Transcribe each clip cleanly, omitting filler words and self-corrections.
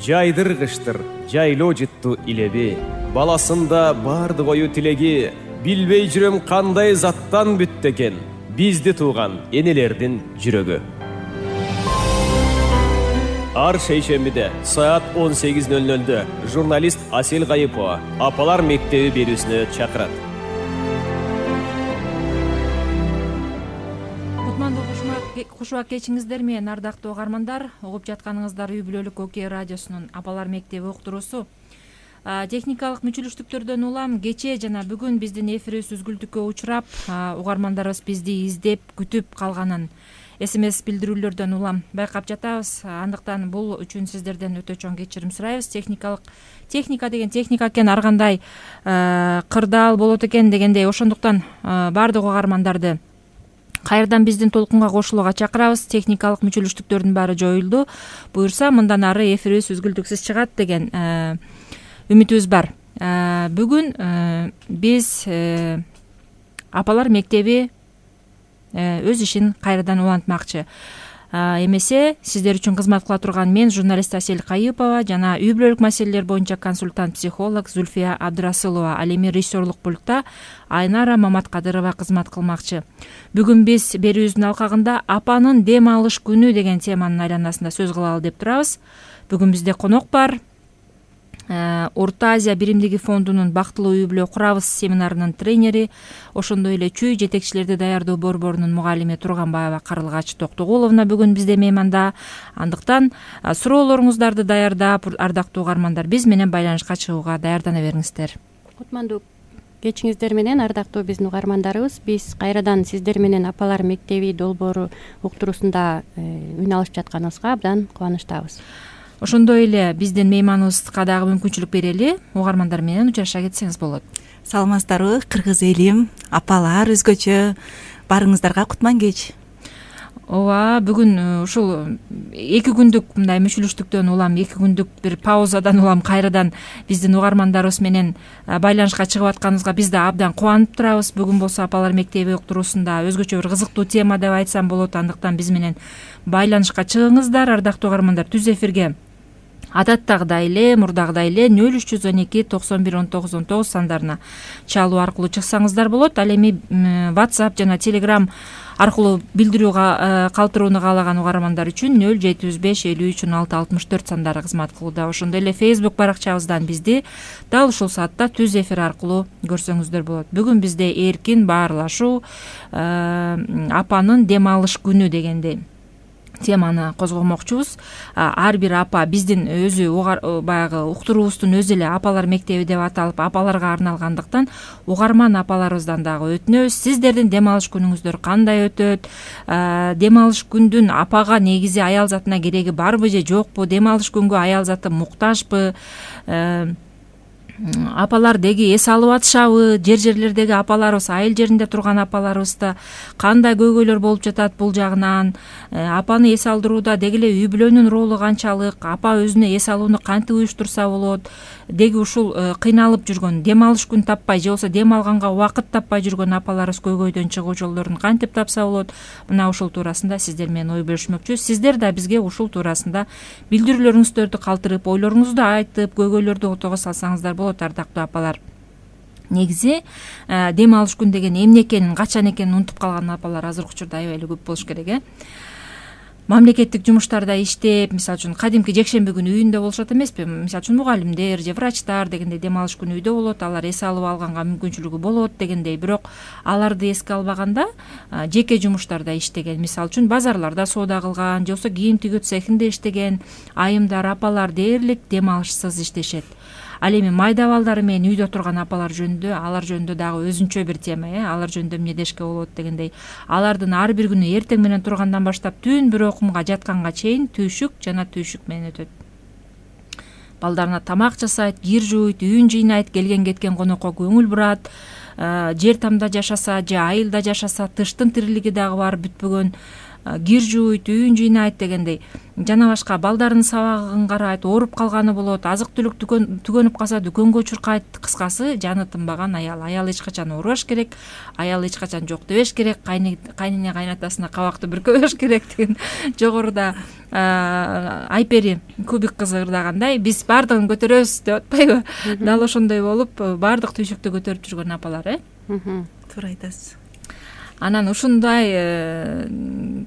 жайдыргычтыр жайлоо жытту илеби. Баласында бардык ою тилеги, билбей жүрөм кандай заттан бүттү экен бизди тууган энелердин жүрөгү. Ар шейшембиде саат 18:00 журналист Асел Кайыпова апалар мектеби берүүсүнө чакырат. Кушубак кечиңиздер менен ардактуу угармандар, угуп жатканыңыздар үй бүлөлүк ОК радиосунун апалар мектеби уктуруусу. Техникалык мүчүлүштүктөрдөн улам кечээ жана бүгүн биздин эфирибиз үзгүлтүккө учурап, угармандарыбыз бизди издеп күтүп калганын СМС билдирүүлөрдөн улам байкап жатабыз. Андыктан бул үчүн сиздерден өтө чоң кечирим сурайбыз. Техника деген техника экен, ар кандай кырдаал болот экен дегендей, ошондуктан баардык угармандарды кайрадан биздин толкунга кошулууга чакырабыз. Техникалык мүчүлүштүктөрдүн баары жоюлду. Буюрса мындан ары эфирибиз үзгүлтүксүз чыгат деген үмүтүбүз бар. Бүгүн биз апалар мектеби өз ишин кайрадан улантмакчы. Эмесе сиздер үчүн кызмат кыла турган мен журналист Асел Кайыпова жана үй бүлөлүк маселелер боюнча консультант психолог Зульфия Абдрасылова, ал эми режиссерлук пультта Айнара Маматкадырова кызмат кылмакчы. Бүгүн биз берүүбүздүн алкагында апанын дем алыш күнү деген теманын айланасында сөз кылалы деп турабыз. Бүгүн бизде конок бар. Орто Азия биримдиги фондунун бактылуу үй бүлө курабыз семинарынын тренери, ошондой эле чүй жетекчилерди даярдоо борборунун мугалими Турганбаева Карылгач Токтогуловна бүгүн бизде мейманда. Андыктан суроолоруңуздарды даярдап, ардактуу угармандар, биз менен байланышка чыгууга даярдана бериңиздер. Кутмандуу кечиңиздер менен ардактуу биздин угармандарыбыз, биз кайрадан сиздер менен апалар мектеби долбоору уктуруусунда үн алышып жатканыбызга абдан кубанычтабыз. Ошондой эле биздин мейманыбызга дагы мүмкүнчүлүк берели, угармандар менен учаша кетсеңиз болот. Саламатсыздарбы, кыргыз элим, апалар, өзгөчө баарыңыздарга кутман кеч. Ооба, бүгүн ушул 2 күндүк мындай мүчүлүштүктөн улам, 2 күндүк бир паузадан улам кайрадан биздин угармандарыбыз менен байланышка чыгып атканыбызга биз да абдан кубанып турабыз. Бүгүн болсо апалар мектеби уктуруусунда өзгөчө бир кызыктуу тема деп айтсам болот. Андыктан биз менен байланышка чыгыңыздар, ардактуу угармандар. Түз эфирге адаттагыдай эле, мурдагыдай эле 0312 91 19 19 сандарына чалуу аркылуу чыксаңыздар болот. Ал эми WhatsApp жана Telegram аркылуу билдирүү калтырууну каалаган угармандар үчүн 0705 53 16 64 сандары кызмат кылууда. Ошондой эле Facebook баракчабыздан бизди дал ушул саатта түз эфир аркылуу көрсөңүздөр болот. Бүгүн бизде эркин баарлашуу, апанын дем алыш күнү дегендей теманы козгомокчубуз. Ар бир апа биздин өзү баягы уктуруубуздун өзү эле апалар мектеби деп аталып, апаларга арналгандыктан угарман апаларыбыздан дагы өтүнөбүз. Сиздердин дем алыш күнүңүздөр кандай өтөт? Дем алыш күндүн апага негизи аял затына кереги барбы же жокпу? Дем алыш күнгө аял заты муктажбы? Апалар деги эс алып атышабы? Жерлердеги апаларыбыз, айыл жеринде турган апаларыбызда кандай көйгөйлөр болуп жатат бул жагынан? Апаны эс алдырууда деги эле үй бүлөнүн ролу канчалык? Апа өзүнө эс алууну кантип уюштурса болот? Деги ушул кыйналып жүргөн, дем алыш күн таппай же болбосо дем алганга убакыт таппай жүргөн апаларыбыз көйгөйдөн чыгуу жолдорун кантип тапса болот? Мына ушул туурасында сиздер менен ой бөлүшмөкчүбүз. Сиздер да бизге ушул туурасында билдирүүлөрүңүздөрдү калтырып, ойлоруңузду айтып, көйгөйлөрдү ортого салсаңыздар болот, ардактуу апалар. Негизи дем алыш күн деген эмне экенин, качан экенин унутуп калган апалар азыркы учурда аябай эле көп болуш керек. Мамлекеттик жумуштарда иштеп, мисалы үчүн кадимки жекшемби күнү үйүндө болушат эмеспи? Мисалы үчүн мугалимдер же врачтар дегендей дем алыш күнү үйдө болот, алар эс алып алганга мүмкүнчүлүгү болот дегендей. Бирок аларды эске албаганда жеке жумуштарда иштеген, мисалы үчүн базарларда соода кылган же болбосо кийим тигүү цехинде иштеген айымдар, апалар дээрлик дем алышсыз иштешет. Ал эми майда балдары менен үйдө турган апалар жөнүндө, алар жөнүндө дагы өзүнчө бир тема, алар жөнүндө эмне дешке болот дегендей. Алардын ар бир күнү эртең менен тургандан баштап түн бир окумга жатканга чейин түйшүк жана түйшүк менен өтөт. Балдарына тамак жасайт, кир жууйт, үйүн жыйнайт, келген кеткен конокко көңүл бурат. Жер тамда жашаса же айылда жашаса, тыштын тирилиги дагы бар бүтпөгөн. кир жууйт, үйүн жыйнайт дегендей жана башка балдарынын сабагын карайт, ооруп калганы болот, азык түлүк түгөнүп калса дүкөнгө чуркайт. Кыскасы жаны тынбаган аял эч качан оорубаш керек, аял эч качан жок дебеш керек, кайнине кайнатасына кабакты бүркөбөш керек деген жогоруда Айпери Кубик кызы ырдагандай биз баардыгын көтөрөбүз деп атпайбы? Дал ошондой болуп баардык түйшүктү көтөрүп жүргөн апалар, туура айтасыз. Анан ушундай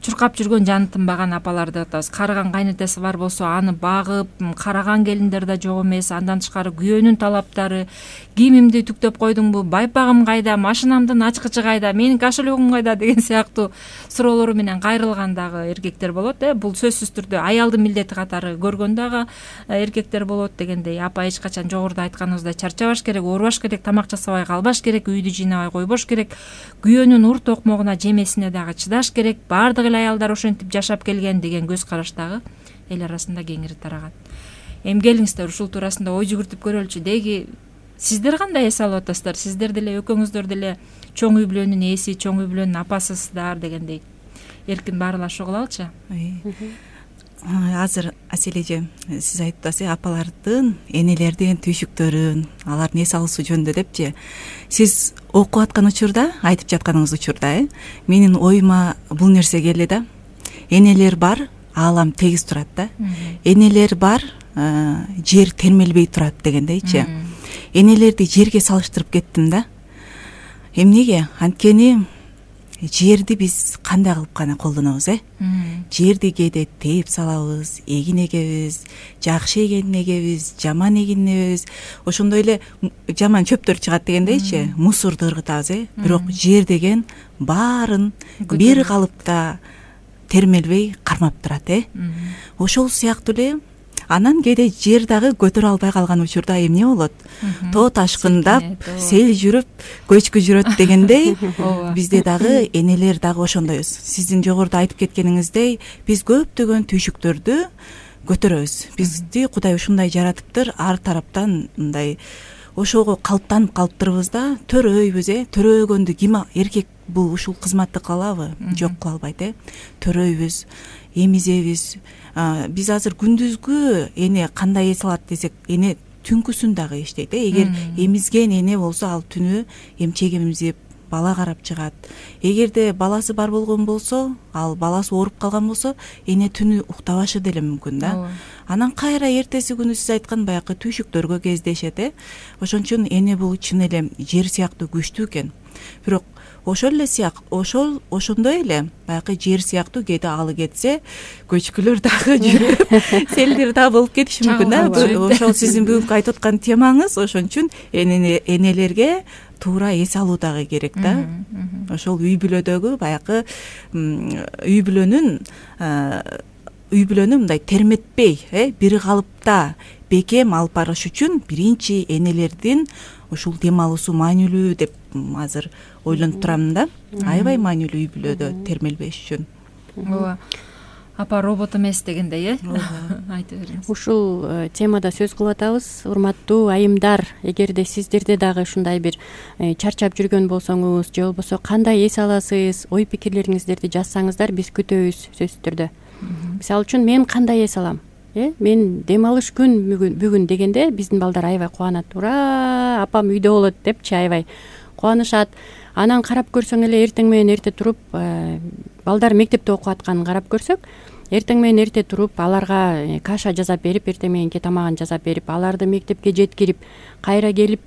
чуркап жүргөн жаны тынбаган апаларды атабыз. Карыган кайнатасы бар болсо аны багып, караган келиндер да жок эмес. Андан тышкары күйөөнүн талаптары, кийимимди түктөп койдуңбу, байпагым кайда, машинамдын ачкычы кайда, менин кошелегим кайда деген сыяктуу суроолору менен кайрылган дагы эркектер болот. Бул сөзсүз түрдө аялдын милдети катары көргөн дагы эркектер болот дегендей. Апа эч качан жогоруда айтканыбыздай чарчабаш керек, оорубаш керек, тамак жасабай калбаш керек, үйдү жыйнабай койбош керек, күйөөнүн урт окмогуна, жемесине дагы чыдаш керек. Баардык эле аялдар ошентип жашап келген деген көз караш дагы эл арасында кеңири тараган. Эми келиңиздер ушул туурасында ой жүгүртүп көрөлүчү. Деги сиздер кандай эс алып атасыздар? Сиздер деле экөөңүздөр деле чоң үй бүлөнүн ээси, чоң үй бүлөнүн апасысыздар дегендей. Эркин баарлашып кылалычы. Азыр Асель эже сиз айтып атасыз, апалардын, энелердин түйшүктөрүн, алардын эс алуусу жөнүндө депчи. Сиз окуп аткан учурда, айтып жатканыңыз учурда, менин оюма бул нерсе келди да. Энелер бар, аалам тегиз турат да. Энелер бар, жер термелбей турат дегендейчи. Энелерди жерге салыштырып кеттим да. Эмнеге? Анткени жерди биз кандай кылып гана колдонобуз, жерди кээде тээп салабыз, эгин эгебиз, жакшы эгин эгебиз, жаман эгин эгебиз, ошондой эле жаман чөптөр чыгат дегендейчи, мусорду ыргытабыз, бирок жер деген баарын бир калыпта термелбей кармап турат, ошол сыяктуу эле анан кээде жер дагы көтөрө албай калган учурда эмне болот? Тоо ташкындап, сел жүрүп, көчкү жүрөт дегендей, бизде дагы энелер дагы ошондойбуз. Сиздин жогоруда айтып кеткениңиздей, биз көптөгөн түйшүктөрдү көтөрөбүз. Бизди Кудай ушундай жаратыптыр, ар тараптан мындай ошого калыптанып калыптырбыз да, төрөйбүз, төрөөгөндү ким эркек бул ушул кызматты кыла алабы? Жок, кыла албайт, төрөйбүз, эмизебиз. Биз азыр күндүзгү эне кандай эс алат десек, эне түнкүсүн дагы иштейт. Эгер эмизген эне болсо, ал түнү эмчек эмизип, бала карап чыгат. Эгерде баласы бар болгон болсо, ал баласы ооруп калган болсо, эне түнү уктабашы деле мүмкүн да. Анан кайра эртеси күнү сиз айткан баягы түйшүктөргө кездешет. Ошон үчүн эне бул чын эле жер сыяктуу күчтүү экен. Бирок ошондой эле баягы жер сыяктуу кээде алы кетсе, көчкүлөр дагы жүрүп, селдер дагы болуп кетиши мүмкүн да. Ошол сиздин бүгүнкү айтып аткан темаңыз, ошон үчүн энелерге туура эс алуу дагы керек да. Ошол үй бүлөдөгү баягы үй бүлөнү мындай терметпей, бир калыпта бекем алып барыш үчүн биринчи энелердин ушул дем алуусу маанилүү деп азыр ойлонуп турам да. Аябай маанилүү үй бүлөдө термелбеш үчүн. Ооба. Апа робот эмес дегендей, айтып бериңиз. Ушул темада сөз кылып атабыз. Урматтуу айымдар, эгерде сиздерде дагы ушундай бир чарчап жүргөн болсоңуз, же болбосо кандай эс аласыз, ой пикирлериңиздерди жазсаңыздар, биз күтөбүз сөзсүз түрдө. Мисалы үчүн мен кандай эс алам? Мен дем алыш күн бүгүн дегенде биздин балдар аябай кубанат. Ура, апам үйдө болот депчи аябай кубанышат. Анан карап көрсөң эле эртең менен эрте туруп, балдар мектепте окуп атканын карап көрсөк, эртең менен эрте туруп, аларга каша жасап берип, эртең мененки тамагын жасап берип, аларды мектепке жеткирип, кайра келип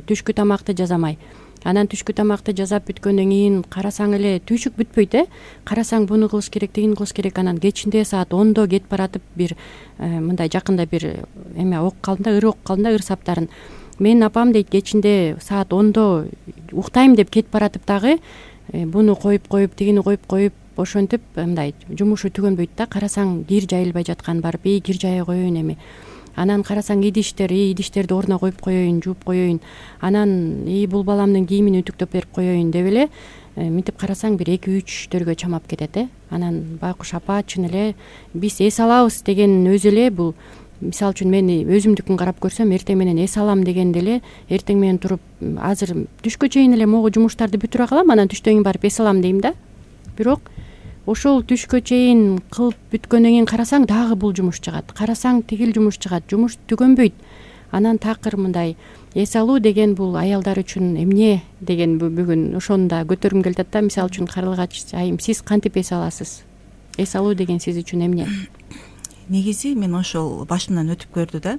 түшкү тамакты жасамай. Анан түшкү тамакты жасап бүткөндөн кийин карасаң эле түйшүк бүтпөйт, карасаң буну кылыш керек, тигини кылыш керек. Анан кечинде саат 10до кетип баратып бир мындай жакында бир эме окуп калдым да, окуп калдым да, саптарын. Менин апам дейт, кечинде саат 10до уктайм деп кетип баратып дагы буну коюп, тигини коюп, ошентип мындай жумушу түгөнбөйт да. Карасаң кир жайылбай жаткан барып, кир жая коеюн эми. Анан карасаң идиштерди ордуна коюп коеюн, жууп коеюн. Анан бул баламдын кийимин үтүктөп берип коеюн деп эле мынтип карасаң бир 2-3 чамап кетет. Анан байкуш апа, чын эле биз эс алабыз деген өзү эле бул. Мисалы үчүн мен өзүмдүкүн карап көрсөм, эртең менен эс алам дегенде эле эртең менен туруп, азыр түшкө чейин эле могу жумуштарды бүтүрө калам, анан түштөн кийин барып эс алам дейм да. Бирок ошол түшкө чейин кылып бүткөндөн кийин карасаң дагы бул жумуш чыгат, карасаң тигил жумуш чыгат, жумуш түгөнбөйт. Анан такыр мындай эс алуу деген бул аялдар үчүн эмне деген бүгүн ошону да көтөргүм келип атат да. Мисалы үчүн Карлыгач айым, сиз кантип эс аласыз? Эс алуу деген сиз үчүн эмне? Негизи мен ошол башымдан өтүп көрдү да.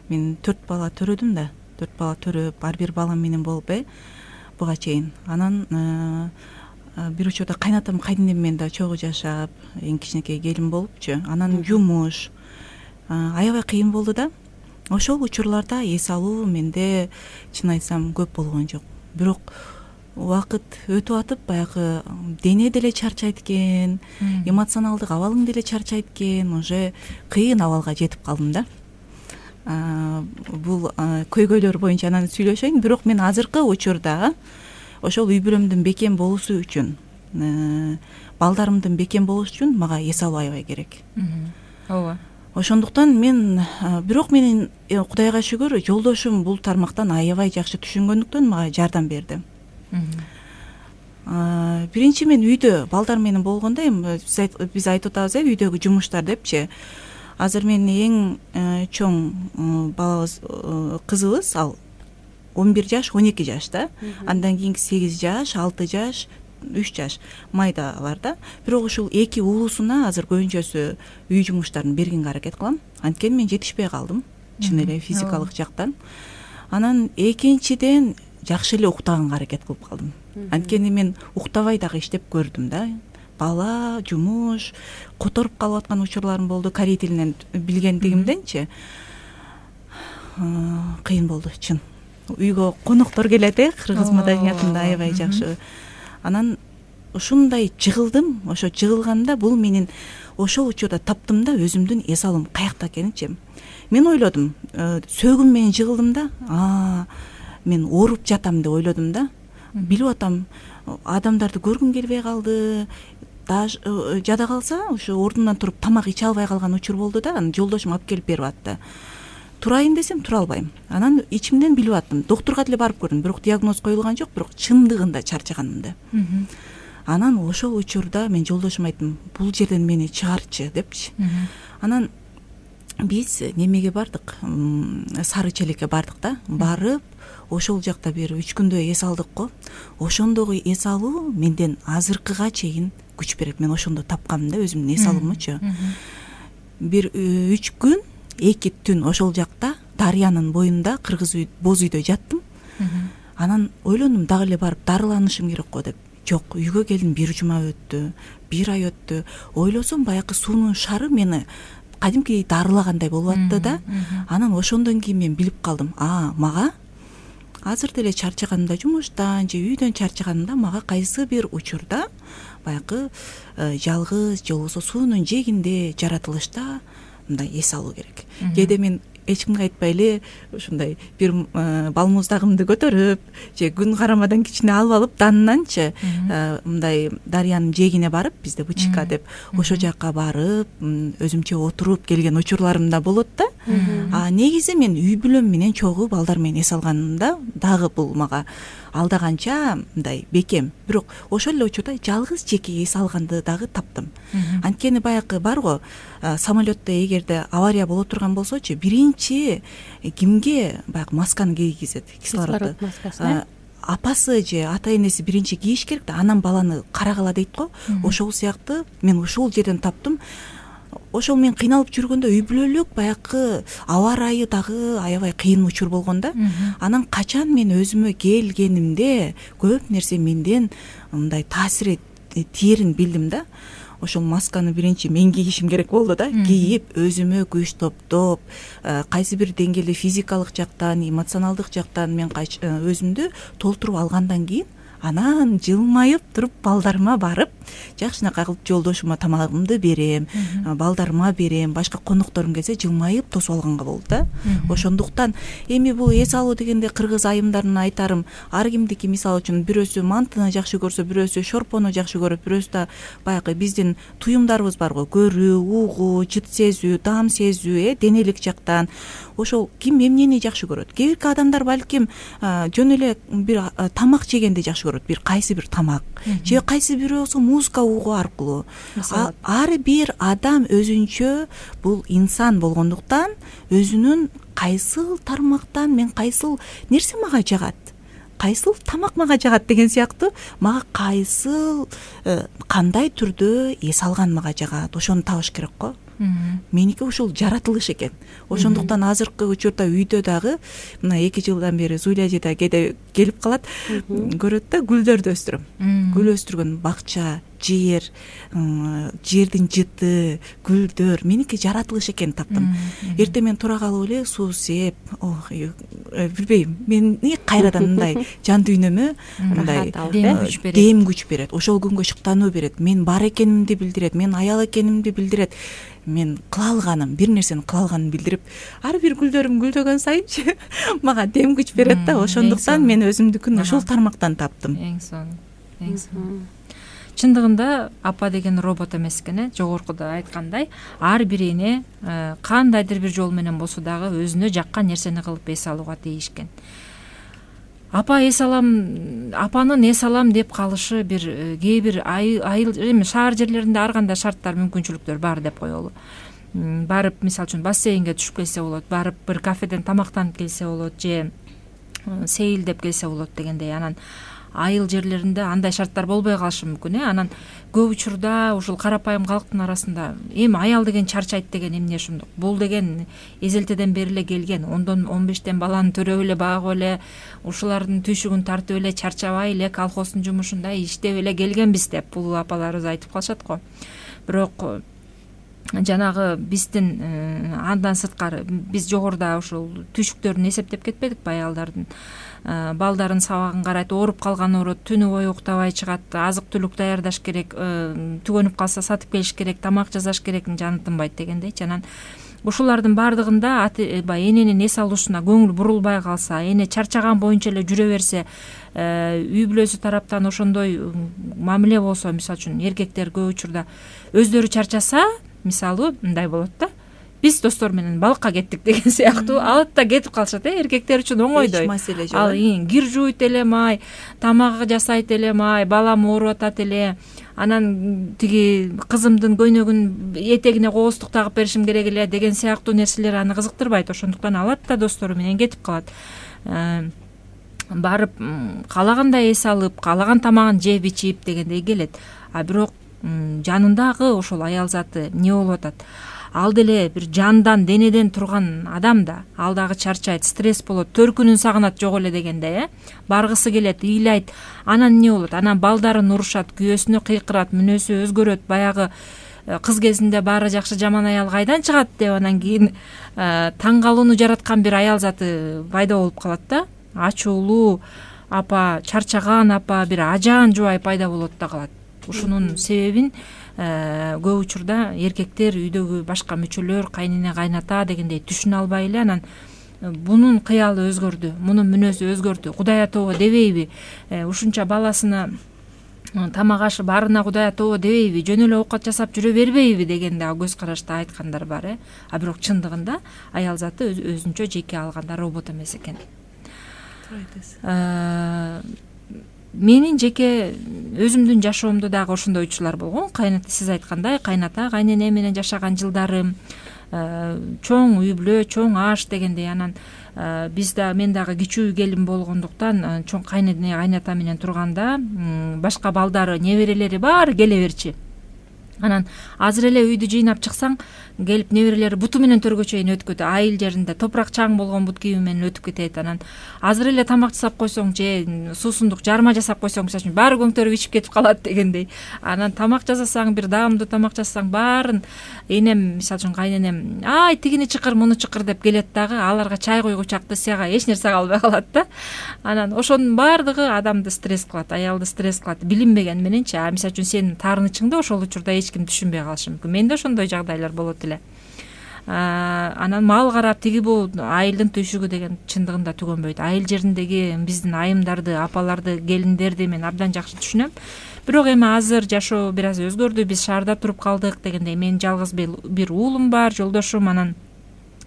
Мен 4 бала төрөдүм да. 4 бала төрөп, ар бир балам менен болуп буга чейин. Анан бир учурда кайнатам, кайненем менен да чогуу жашап, эң кичинекей келин болупчу. Анан жумуш аябай кыйын болду да. Ошол учурларда эс алуу менде чын айтсам көп болгон жок. Бирок убакыт өтүп атып баягы дене деле чарчайт экен, эмоционалдык абалың деле чарчайт экен, уже кыйын абалга жетип калдым да. Бул көйгөйлөр боюнча анан сүйлөшөйүн. Бирок мен азыркы учурда ошол үй бүлөмдүн бекем болуусу үчүн, балдарымдын бекем болушу үчүн мага эс алуу аябай керек. Ооба. Ошондуктан мен бирок менин Кудайга шүгүр жолдошум бул тармактан аябай жакшы түшүнгөндүктөн мага жардам берди. Биринчи мен үйдө балдар менен болгондо эми биз айтып атабыз үйдөгү жумуштар депчи. Азыр менин эң чоң балабыз, кызыбыз, ал 11 жаш, 12 жаш да. Андан кийинки 8 жаш, 6 жаш, 3 жаш майдалар да. Бирок ушул эки уулусуна азыр көбүнчөсү үй жумуштарын бергенге аракет кылам. Анткени мен жетишпей калдым, чын эле физикалык жактан. Анан экинчиден жакшы эле уктаганга аракет кылып калдым. Анткени мен уктабай дагы иштеп көрдүм да. Бала, жумуш, которуп калып аткан учурларым болду. Корей тилинен билгендигимденчи кыйын болду, чын. Үйгө коноктор келет, кыргыз маданиятында аябай жакшы. Анан ушундай жыгылдым. Ошо жыгылганда бул менин ошол учурда таптым да өзүмдүн эс алуум каякта экенинчи. Мен ойлодум, сөөгүм менен жыгылдым да. Мен ооруп жатам деп ойлодум да. Билип атам, адамдарды көргүм келбей калды. Жада калса, ошо ордумдан туруп тамак иче албай калган учур болду да. Анан жолдошум алып келип берип атты. Турайын десем тура албайм. Анан ичимден билип аттым. Доктурга деле барып көрдүм, бирок диагноз коюлган жок, бирок чындыгында чарчаганымды. Анан ошол учурда мен жолдошума айттым, бул жерден мени чыгарчы депчи. Анан биз немеге бардык, Сары Челекке бардык да. Барып, ошол жакта бир 3 күндөй эс алдык го. Ошондогу эс алуу менден азыркыга чейин күч берет. Мен ошондо тапкам да өзүмдүн эс алуумчу. Бир 3 күн, 2 түн ошол жакта дарыянын боюнда кыргыз боз үйдө жаттым. Анан ойлондум, дагы эле барып дарыланышым керек го деп. Жок, үйгө келдим, 1 жума өттү, 1 ай өттү. Ойлосом баягы суунун шары мени кадимкидей дарылагандай болуп атты да. Анан ошондон кийин мен билип калдым, мага азыр деле чарчаганымда, жумуштан же үйдөн чарчаганымда мага кайсы бир учурда баягы жалгыз же болбосо суунун жээгинде жаратылышта мындай эс алуу керек. Кээде мен эч кимге айтпай эле ушундай бир балмуздагымды көтөрүп же күн карамадан кичине алып данынанчы мындай дарыянын жээгине барып, бизде бычка деп, ошол жакка барып өзүмчө отуруп келген учурларым да болот да. Негизи мен үй бүлөм менен чогуу балдар менен эс алганымда дагы бул мага алдаганча мындай бекем. Бирок ошол эле учурда жалгыз жеке эс алганды дагы таптым. Анткени баягы бар го, самолетто эгерде авария боло турган болсочу, биринчи кимге баягы масканы кийгизет, кислород маскасын. Апасы же ата энеси биринчи кийиш керек да, анан баланы карагыла дейт го. Ошол сыяктуу мен ошол жерден таптым. Ошол мен кыйналып жүргөндө үй бүлөлүк баягы аба ырайы дагы аябай кыйын учур болгон да. Анан качан мен өзүмө келгенимде көп нерсе менден мындай таасир тиерин билдим да. Ошол масканы биринчи мен кийишим керек болду да. Кийип, өзүмө күч топтоп, кайсы бир деңгээлде физикалык жактан, эмоционалдык жактан мен өзүмдү толтуруп алгандан кийин анан жылмайып туруп балдарыма барып, жакшынакай кылып жолдошума тамагымды берем, балдарыма берем, башка конокторум келсе жылмайып тосуп алганга болду да. Ошондуктан эми бул эс алуу дегенде кыргыз айымдарына айтарым, ар кимдики мисалы үчүн бирөөсү мантыны жакшы көрсө, бирөөсү шорпону жакшы көрөт, бирөөсү да баягы биздин туюмдарыбыз бар го, көрүү, угуу, жыт сезүү, таам сезүү, денелик жактан. Ошол ким эмнени жакшы көрөт? Кээ бирки адамдар балким жөн эле бир тамак жегенди жакшы көрөт. көрөт, бир кайсы бир тамак же кайсы бирөөсү музыка угуу аркылуу. Ар бир адам өзүнчө бул инсан болгондуктан өзүнүн кайсыл тармактан мен кайсыл нерсе мага жагат, кайсыл тамак мага жагат деген сыяктуу мага кайсыл кандай түрдө эс алган мага жагат, ошону табыш керек го. Меники ушул жаратылыш экен. Ошондуктан азыркы учурда үйдө дагы мына 2 жылдан бери Зуля эже да кээде келип калат, көрөт да, гүлдөрдү өстүрөм. Гүл өстүргөн бакча, жер, жердин жыты, гүлдөр меники жаратылыш экен таптым. Эртең мен тура калып эле суу сеп, билбейм, мени кайрадан мындай жан дүйнөмө мындай дем күч берет, ошол күнгө шыктануу берет, мен бар экенимди билдирет, мен аял экенимди билдирет, мен кыла алганым, бир нерсени кыла алганын билдирип, ар бир гүлдөрүм гүлдөгөн сайынчы мага дем күч берет да. Ошондуктан мен өзүмдүкүн ушул тармактан таптым. Эң сонун. Чындыгында апа деген робот эмес экен, жогоркуда айткандай, ар бир эне кандайдыр бир жол менен болсо дагы өзүнө жаккан нерсени кылып эс алууга тийишкен. Апанын эс алам деп калышы бир кээ бир айыл шаар жерлеринде ар кандай шарттар, мүмкүнчүлүктөр бар деп коелу. Барып, мисалы үчүн, бассейнге түшүп келсе болот, барып бир кафеден тамактанып келсе болот, же сейилдеп келсе болот дегендей. Анан айыл жерлеринде андай шарттар болбой калышы мүмкүн. Анан көп учурда ушул карапайым калктын арасында эми аял деген чарчайт деген эмне ушундук? Бул деген эзелтеден бери эле келген, 10-15тен баланы төрөп эле багып эле, ушулардын түйшүгүн тартып эле, чарчабай эле колхоздун жумушунда иштеп эле келгенбиз деп бул апаларыбыз айтып калышат го. Бирок жанагы биздин андан сырткары биз жогоруда ушул түйшүктөрүн эсептеп кетпедикпи? Аялдардын балдарын сабагын карайт, ооруп калган оорот, түнү бою уктабай чыгат, азык түлүк даярдаш керек, түгөнүп калса сатып келиш керек, тамак жасаш керек, жаны тынбайт дегендейчи. Анан ушулардын баардыгында эненин эс алуусуна көңүл бурулбай калса, эне чарчаган боюнча эле жүрө берсе, үй бүлөсү тараптан ошондой мамиле болсо, мисалы үчүн эркектер көп учурда өздөрү чарчаса, мисалы мындай болот да, биз достор менен балыкка кеттик деген сыяктуу алып да кетип калышат. Эркектер үчүн оңойдой. Ал кир жууйт элем ай, тамак жасайт элем ай, балам ооруп атат эле, анан тиги кызымдын көйнөгүн этегине кооздук тагып беришим керек эле деген сыяктуу нерселер аны кызыктырбайт. Ошондуктан алат да достору менен кетип калат. Барып каалагандай эс алып, каалаган тамагын жеп ичип дегендей келет. А бирок жанындагы ошол аял заты эмне болуп атат? Ал деле бир жандан, денеден турган адам да, ал дагы чарчайт, стресс болот, төркүнүн сагынат жок эле дегендей, баргысы келет, ыйлайт. Анан эмне болот? Анан балдарын урушат, күйөөсүнө кыйкырат, мүнөзү өзгөрөт. Баягы кыз кезинде баары жакшы, жаман аял кайдан чыгат деп анан кийин таң калууну жараткан бир аял заты пайда болуп калат да. Ачуулуу апа, чарчаган апа, бир ажаан жубай пайда болот да калат. Ушунун себебин көп учурда эркектер, үйдөгү башка мүчөлөр, кайнене, кайната дегендей түшүнө албай эле, анан бунун кыялы өзгөрдү, мунун мүнөзү өзгөрдү, Кудай атобо дебейби, ушунча баласына тамак ашы баарына Кудай атобо дебейби, жөн эле оокат жасап жүрө бербейби дегенде көз карашта айткандар бар. А бирок чындыгында аял заты өзүнчө жеке алганда робот эмес экен. Менин жеке өзүмдүн жашоомдо дагы ошондой учурлар болгон. Кайната, сиз айткандай, кайната, кайнене менен жашаган жылдарым, чоң үй бүлө, чоң аш дегендей. Анан мен дагы кичүү келин болгондуктан чоң кайнене, кайната менен турганда башка балдары, неберелери баары келе берчи. Анан азыр эле үйдү жыйнап чыксаң, келип неберелери буту менен төргө чейин өтүп кетет. Айыл жеринде топурак чаң болгон бут кийими менен өтүп кетет. Анан азыр эле тамак жасап койсоң же суусундук жарма жасап койсоң, мисалы үчүн баары көңтөрүп ичип кетип калат дегендей. Анан тамак жасасаң, бир даамдуу тамак жасасаң, баарын энем, мисалы үчүн кайненем, ай тигини чыкыр, муну чыкыр деп келет дагы, аларга чай койгучу акцияга эч нерсе калбай калат да. Анан ошонун баардыгы адамды стресс кылат, аялды стресс кылат, билинбеген мененчи. Мисалы үчүн сенин таарынычыңды ошол учурда эч ким түшүнбөй калышы мүмкүн. Менде ошондой жагдайлар болот эле. Анан мал карап, тиги бул айылдын түйшүгү деген чындыгында түгөнбөйт. Айыл жериндеги биздин айымдарды, апаларды, келиндерди мен абдан жакшы түшүнөм. Бирок эми азыр жашоо бир аз өзгөрдү, биз шаарда туруп калдык дегендей. Менин жалгыз бир уулум бар, жолдошум, анан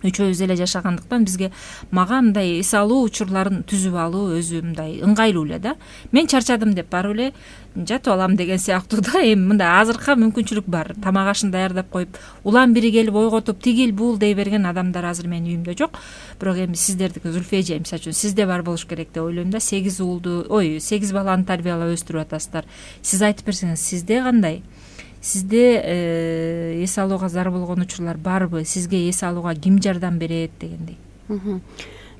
үчөөбүз эле жашагандыктан мага мындай эс алуу учурларын түзүп алуу өзү мындай ыңгайлуу эле да. Мен чарчадым деп барып эле жатып алам деген сыяктуу да. Эми мындай азыркы мүмкүнчүлүк бар. Тамак ашын даярдап коюп, улам бири келип ойготуп тигил бул дей берген адамдар азыр менин үйүмдө жок. Бирок эми сиздердики Зүлфия эже мисалы үчүн сизде бар болуш керек деп ойлойм да. 8 баланы тарбиялап өстүрүп атасыздар. Сиз айтып берсеңиз, сизде кандай? Сизде эс алууга зар болгон учурлар барбы? Сизге эс алууга ким жардам берет дегендей?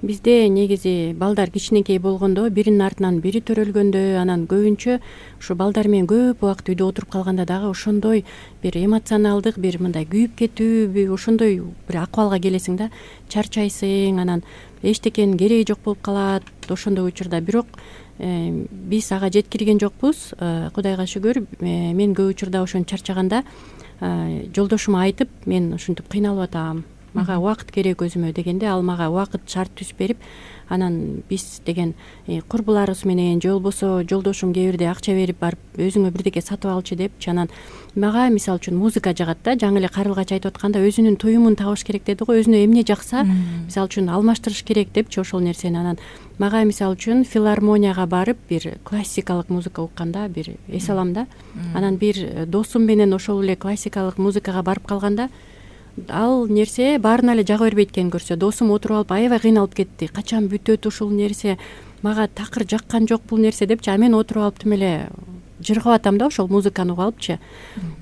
Бизде негизи балдар кичинекей болгондо биринин артынан бири төрөлгөндө, анан көбүнчө ушу балдар менен көп убакыт үйдө отуруп калганда дагы ошондой бир эмоционалдык, бир мындай күйүп кетүү, ошондой бир акыбалга келесиң да, чарчайсың, анан эчтекенин кереги жок болуп калат ошондой учурда. Бирок биз ага жеткирген жокпуз, Кудайга шүгүр. Мен көп учурда ошентип чарчаганда жолдошума айтып, мен ушинтип кыйналып атам, мага убакыт керек өзүмө дегенде, ал мага убакыт шарт түзүп берип, анан биз деген курбуларыбыз менен же болбосо жолдошум кээ бирде акча берип барып өзүңө бирдеке сатып алчы депчи. Анан мага мисалы үчүн музыка жагат да. Жаңы эле Карылгач айтып атканда өзүнүн туюмун табыш керек деди го. Өзүнө эмне жакса, мисалы үчүн алмаштырыш керек депчи ошол нерсени. Анан мага мисалы үчүн филармонияга барып бир классикалык музыка укканда бир эс алам да. Анан бир досум менен ошол эле классикалык музыкага барып калганда ал нерсе баарына эле жага бербейт экенин көрсө, досум отуруп алып аябай кыйналып кетти. Качан бүтөт ушул нерсе, мага такыр жаккан жок бул нерсе депчи. А мен отуруп алып тим эле жыргап атам да ошол музыканы угуп алыпчы.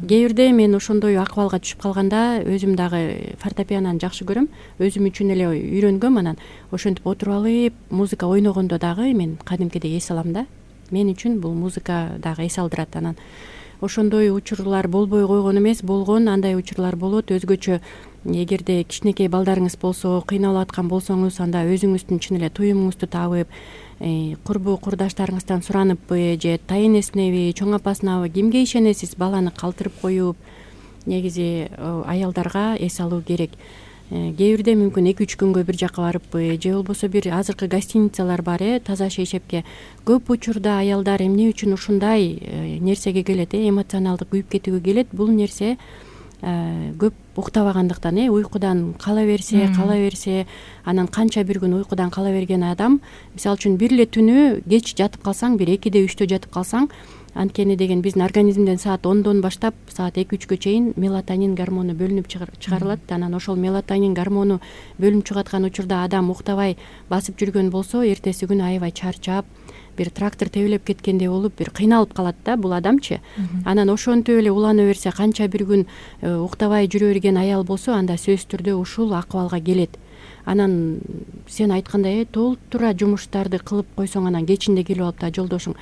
Кээ бирде мен ошондой акыбалга түшүп калганда өзүм дагы фортепианону жакшы көрөм, өзүм үчүн эле үйрөнгөм. Анан ошентип отуруп алып музыка ойногондо дагы мен кадимкидей эс алам да. Мен үчүн бул музыка дагы эс алдырат. Анан ошондой учурлар болбой койгон эмес, болгон, андай учурлар болот. Өзгөчө эгерде кичинекей балдарыңыз болсо, кыйналып аткан болсоңуз, анда өзүңүздүн чын эле туюмуңузду табып, курбу курдаштарыңыздан сураныппы же тайын эсинеби, чоң апасынабы, кимге ишенесиз, баланы калтырып коюп, негизи аялдарга эс алуу керек. Кээ бирде мүмкүн 2-3 күнгө бир жака барыппы, же болбосо бир азыркы гостиницалар бар, таза шейшепке. Көп учурда аялдар эмне үчүн ушундай нерсеге келет, эмоционалдык күйүп кетүүгө келет? Бул нерсе көп уктабагандыктан, уйкудан кала берсе, анан канча бир күн уйкудан кала берген адам, мисалы үчүн бир эле түнү кеч жатып калсаң, бир 2-де 3-тө жатып калсаң, анткени деген биздин организмден саат 10дон баштап саат 2-3кө чейин мелатонин гормону бөлүнүп чыгарылат. Анан ошол мелатонин гормону бөлүнүп чыгаткан учурда адам уктабай басып жүргөн болсо, эртеси күнү аябай чарчап, бир трактор тебелеп кеткендей болуп, бир кыйналып калат да бул адамчы. Анан ошентип эле улана берсе, канча бир күн уктабай жүрө берген аял болсо, анда сөзсүз түрдө ушул акыбалга келет. Анан сен айткандай толтура жумуштарды кылып койсоң, анан кечинде келип алып да жолдошуң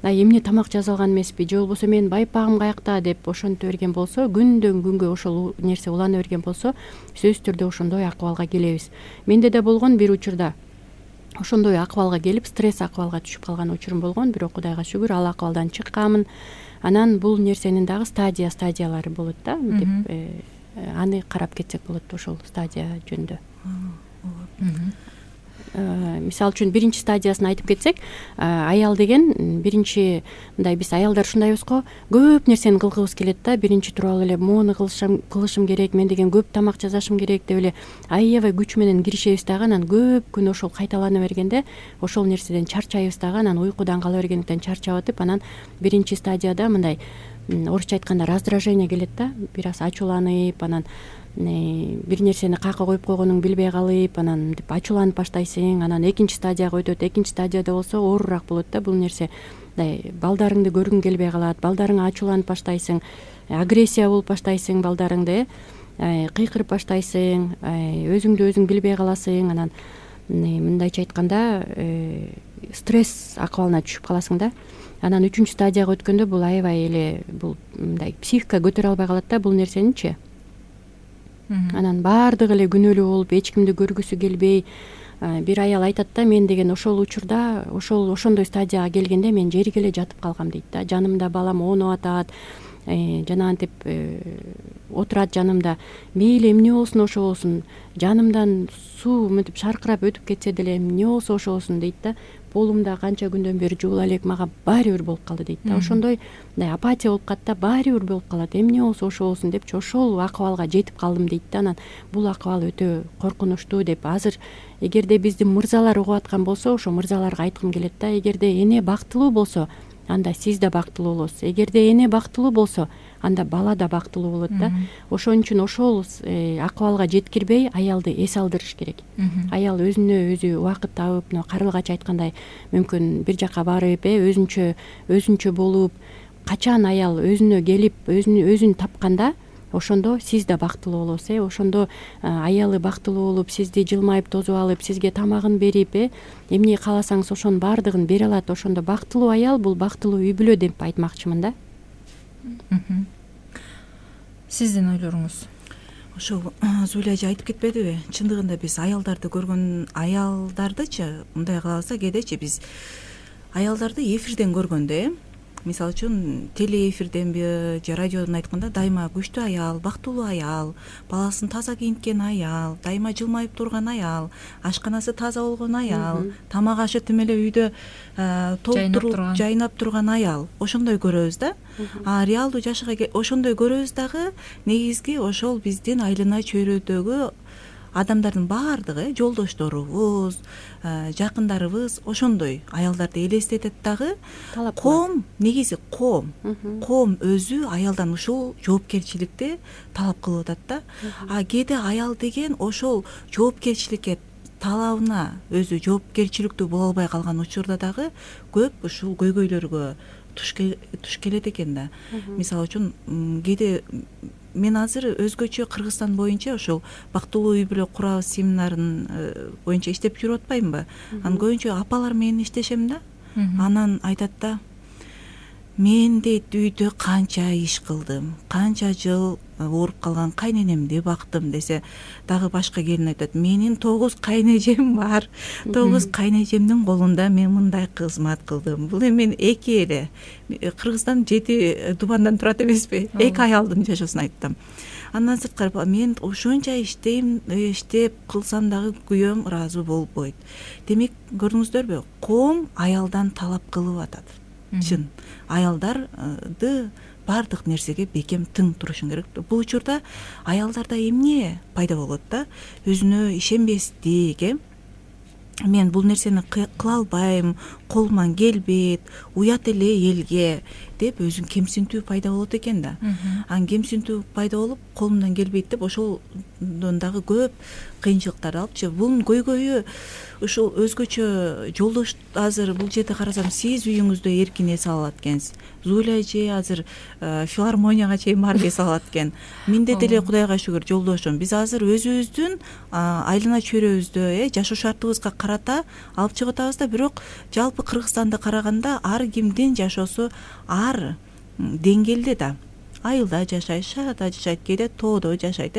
эмне тамак жаза алган эмеспи, же болбосо менин байпагым каякта деп ошентип берген болсо, күндөн күнгө ошол нерсе улана берген болсо, сөзсүз түрдө ошондой акыбалга келебиз. Менде да болгон бир учурда ошондой акыбалга келип, стресс акыбалга түшүп калган учурум болгон, бирок Кудайга шүгүр ал акыбалдан чыкканмын. Анан бул нерсенин дагы стадиялары болот да, деп аны карап кетсек болот ошол стадия жөнүндө. Мисалы үчүн биринчи стадиясын айтып кетсек, аял деген биринчи мындай, биз аялдар ушундайбыз го, көп нерсени кылгыбыз келет да. Биринчи туруп эле моуну кылышым керек, мен деген көп тамак жасашым керек деп эле аябай күч менен киришебиз дагы. Анан көп күн ошол кайталана бергенде ошол нерседен чарчайбыз дагы. Анан уйкудан кала бергендиктен чарчап атып, анан биринчи стадияда мындай орусча айтканда раздражение келет да, бир аз ачууланып, анан бир нерсени кака коюп койгонуңду билбей калып, анан деп ачууланып баштайсың. Анан экинчи стадияга өтөт. Экинчи стадияда болсо оорураак болот да бул нерсе. Балдарыңды көргүң келбей калат, балдарыңа ачууланып баштайсың, агрессия болуп баштайсың, балдарыңды кыйкырып баштайсың, өзүңдү өзүң билбей каласың. Анан мындайча айтканда стресс акыбалына түшүп каласың да. Анан 3-үнчү стадияга өткөндө бул аябай эле бул мындай психика көтөрө албай калат да бул нерсеничи. Анан баардыгы эле күнөөлүү болуп, эч кимди көргүсү келбей, бир аял айтат да, мен деген ошол учурда, ошондой стадияга келгенде мен жерге эле жатып калгам дейт да. Жанымда балам оонуп атат, жанагынтип отурат жанымда, мейли эмне болсун ошо болсун, жанымдан суу мынтип шаркырап өтүп кетсе деле эмне болсо ошо болсун дейт да. Полумда канча күндөн бери жуула элек, мага баары бир болуп калды дейт да. Ошондой мындай апатия болуп калат да, баары бир болуп калат, эмне болсо ошо болсун депчи ошол акыбалга жетип калдым дейт да. Анан бул акыбал өтө коркунучтуу деп азыр эгерде бизди мырзалар угуп аткан болсо, ошо мырзаларга айткым келет да, эгерде эне бактылуу болсо, анда сиз да бактылуу болосуз. Эгерде эне бактылуу болсо, анда бала да бактылуу болот да. Ошон үчүн ошол акыбалга жеткирбей аялды эс алдырыш керек. Аял өзүнө өзү убакыт табып, мына Карылгач айткандай, мүмкүн бир жака барып, өзүнчө болуп, качан аял өзүнө келип, өзүн тапканда, ошондо сиз да бактылуу болосуз. Ошондо аялы бактылуу болуп, сизди жылмайып тозуп алып, сизге тамагын берип, эмне кааласаңыз ошонун баардыгын бере алат. Ошондо бактылуу аял бул бактылуу үй бүлө деп айтмакчымын да. Сиздин ойлоруңуз? Ошол Зуля эже айтып кетпедиби? Чындыгында биз аялдарды көргөн, аялдардычы мындай кылабыз да, кээдечи биз аялдарды эфирден көргөндө, мисалы үчүн телеэфирденби же радиодон айтканда дайыма күчтүү аял, бактылуу аял, баласын таза кийинткен аял, дайыма жылмайып турган аял, ашканасы таза болгон аял, тамак ашы тим эле үйдө толтуруп жайнап турган аял, ошондой көрөбүз да. Реалдуу жашка ошондой көрөбүз дагы, негизги ошол биздин айлана чөйрөдөгү адамдардын баардыгы, жолдошторубуз, жакындарыбыз ошондой аялдарды элестетет дагы. Коом, негизи коом өзү аялдан ушул жоопкерчиликти талап кылып атат да. Кээде аял деген ошол жоопкерчиликке, талабына өзү жоопкерчиликтүү боло албай калган учурда дагы көп ушул көйгөйлөргө туш келет экен да. Мисалы үчүн кээде мен азыр өзгөчө Кыргызстан боюнча ошол бактылуу үй бүлө курабыз семинарын боюнча иштеп жүрүп атпаймынбы? Анан көбүнчө апалар менен иштешем да. Анан айтат да, мен дейт үйдө канча иш кылдым, канча жыл ооруп калган кайненемди бактым десе, дагы башка келин айтат, менин 9 кайнежем бар, 9 кайнежемдин колунда мен мындай кызмат кылдым. Бул эми 2 эле Кыргызстан 7 дубандан турат эмеспи? 2 аялдын жашоосун айттым. Андан сырткары мен ошонча иштеп кылсам дагы күйөөм ыраазы болбойт. Демек, көрдүңүздөрбү, коом аялдан талап кылып атат. Чын, аялдарды баардык нерсеге бекем тың турушун керек. Бул учурда аялдарда эмне пайда болот да? Өзүнө ишенбестик, мен бул нерсени кыла албайм, колуман келбейт, уят эле элге деп өзүн кемсинтүү пайда болот экен да. Анан кемсинтүү пайда болуп, колумдан келбейт деп ошолдон дагы көп кыйынчылыктарды алыпчы. Бунун көйгөйү ушул өзгөчө жолдош. Азыр бул жерде карасам, сиз үйүңүздө эркин эс алат экенсиз. Зуля эже азыр филармонияга чейин барып эс алат экен. Менде деле Кудайга шүгүр жолдошум. Биз азыр өзүбүздүн айлана чөйрөбүздө жашоо шартыбызга карата алып чыгып атабыз да, бирок жалпы Кыргызстанды караганда ар кимдин жашоосу ар деңгээлде да. Айылда жашайт, шаарда жашайт, кээде тоодо жашайт,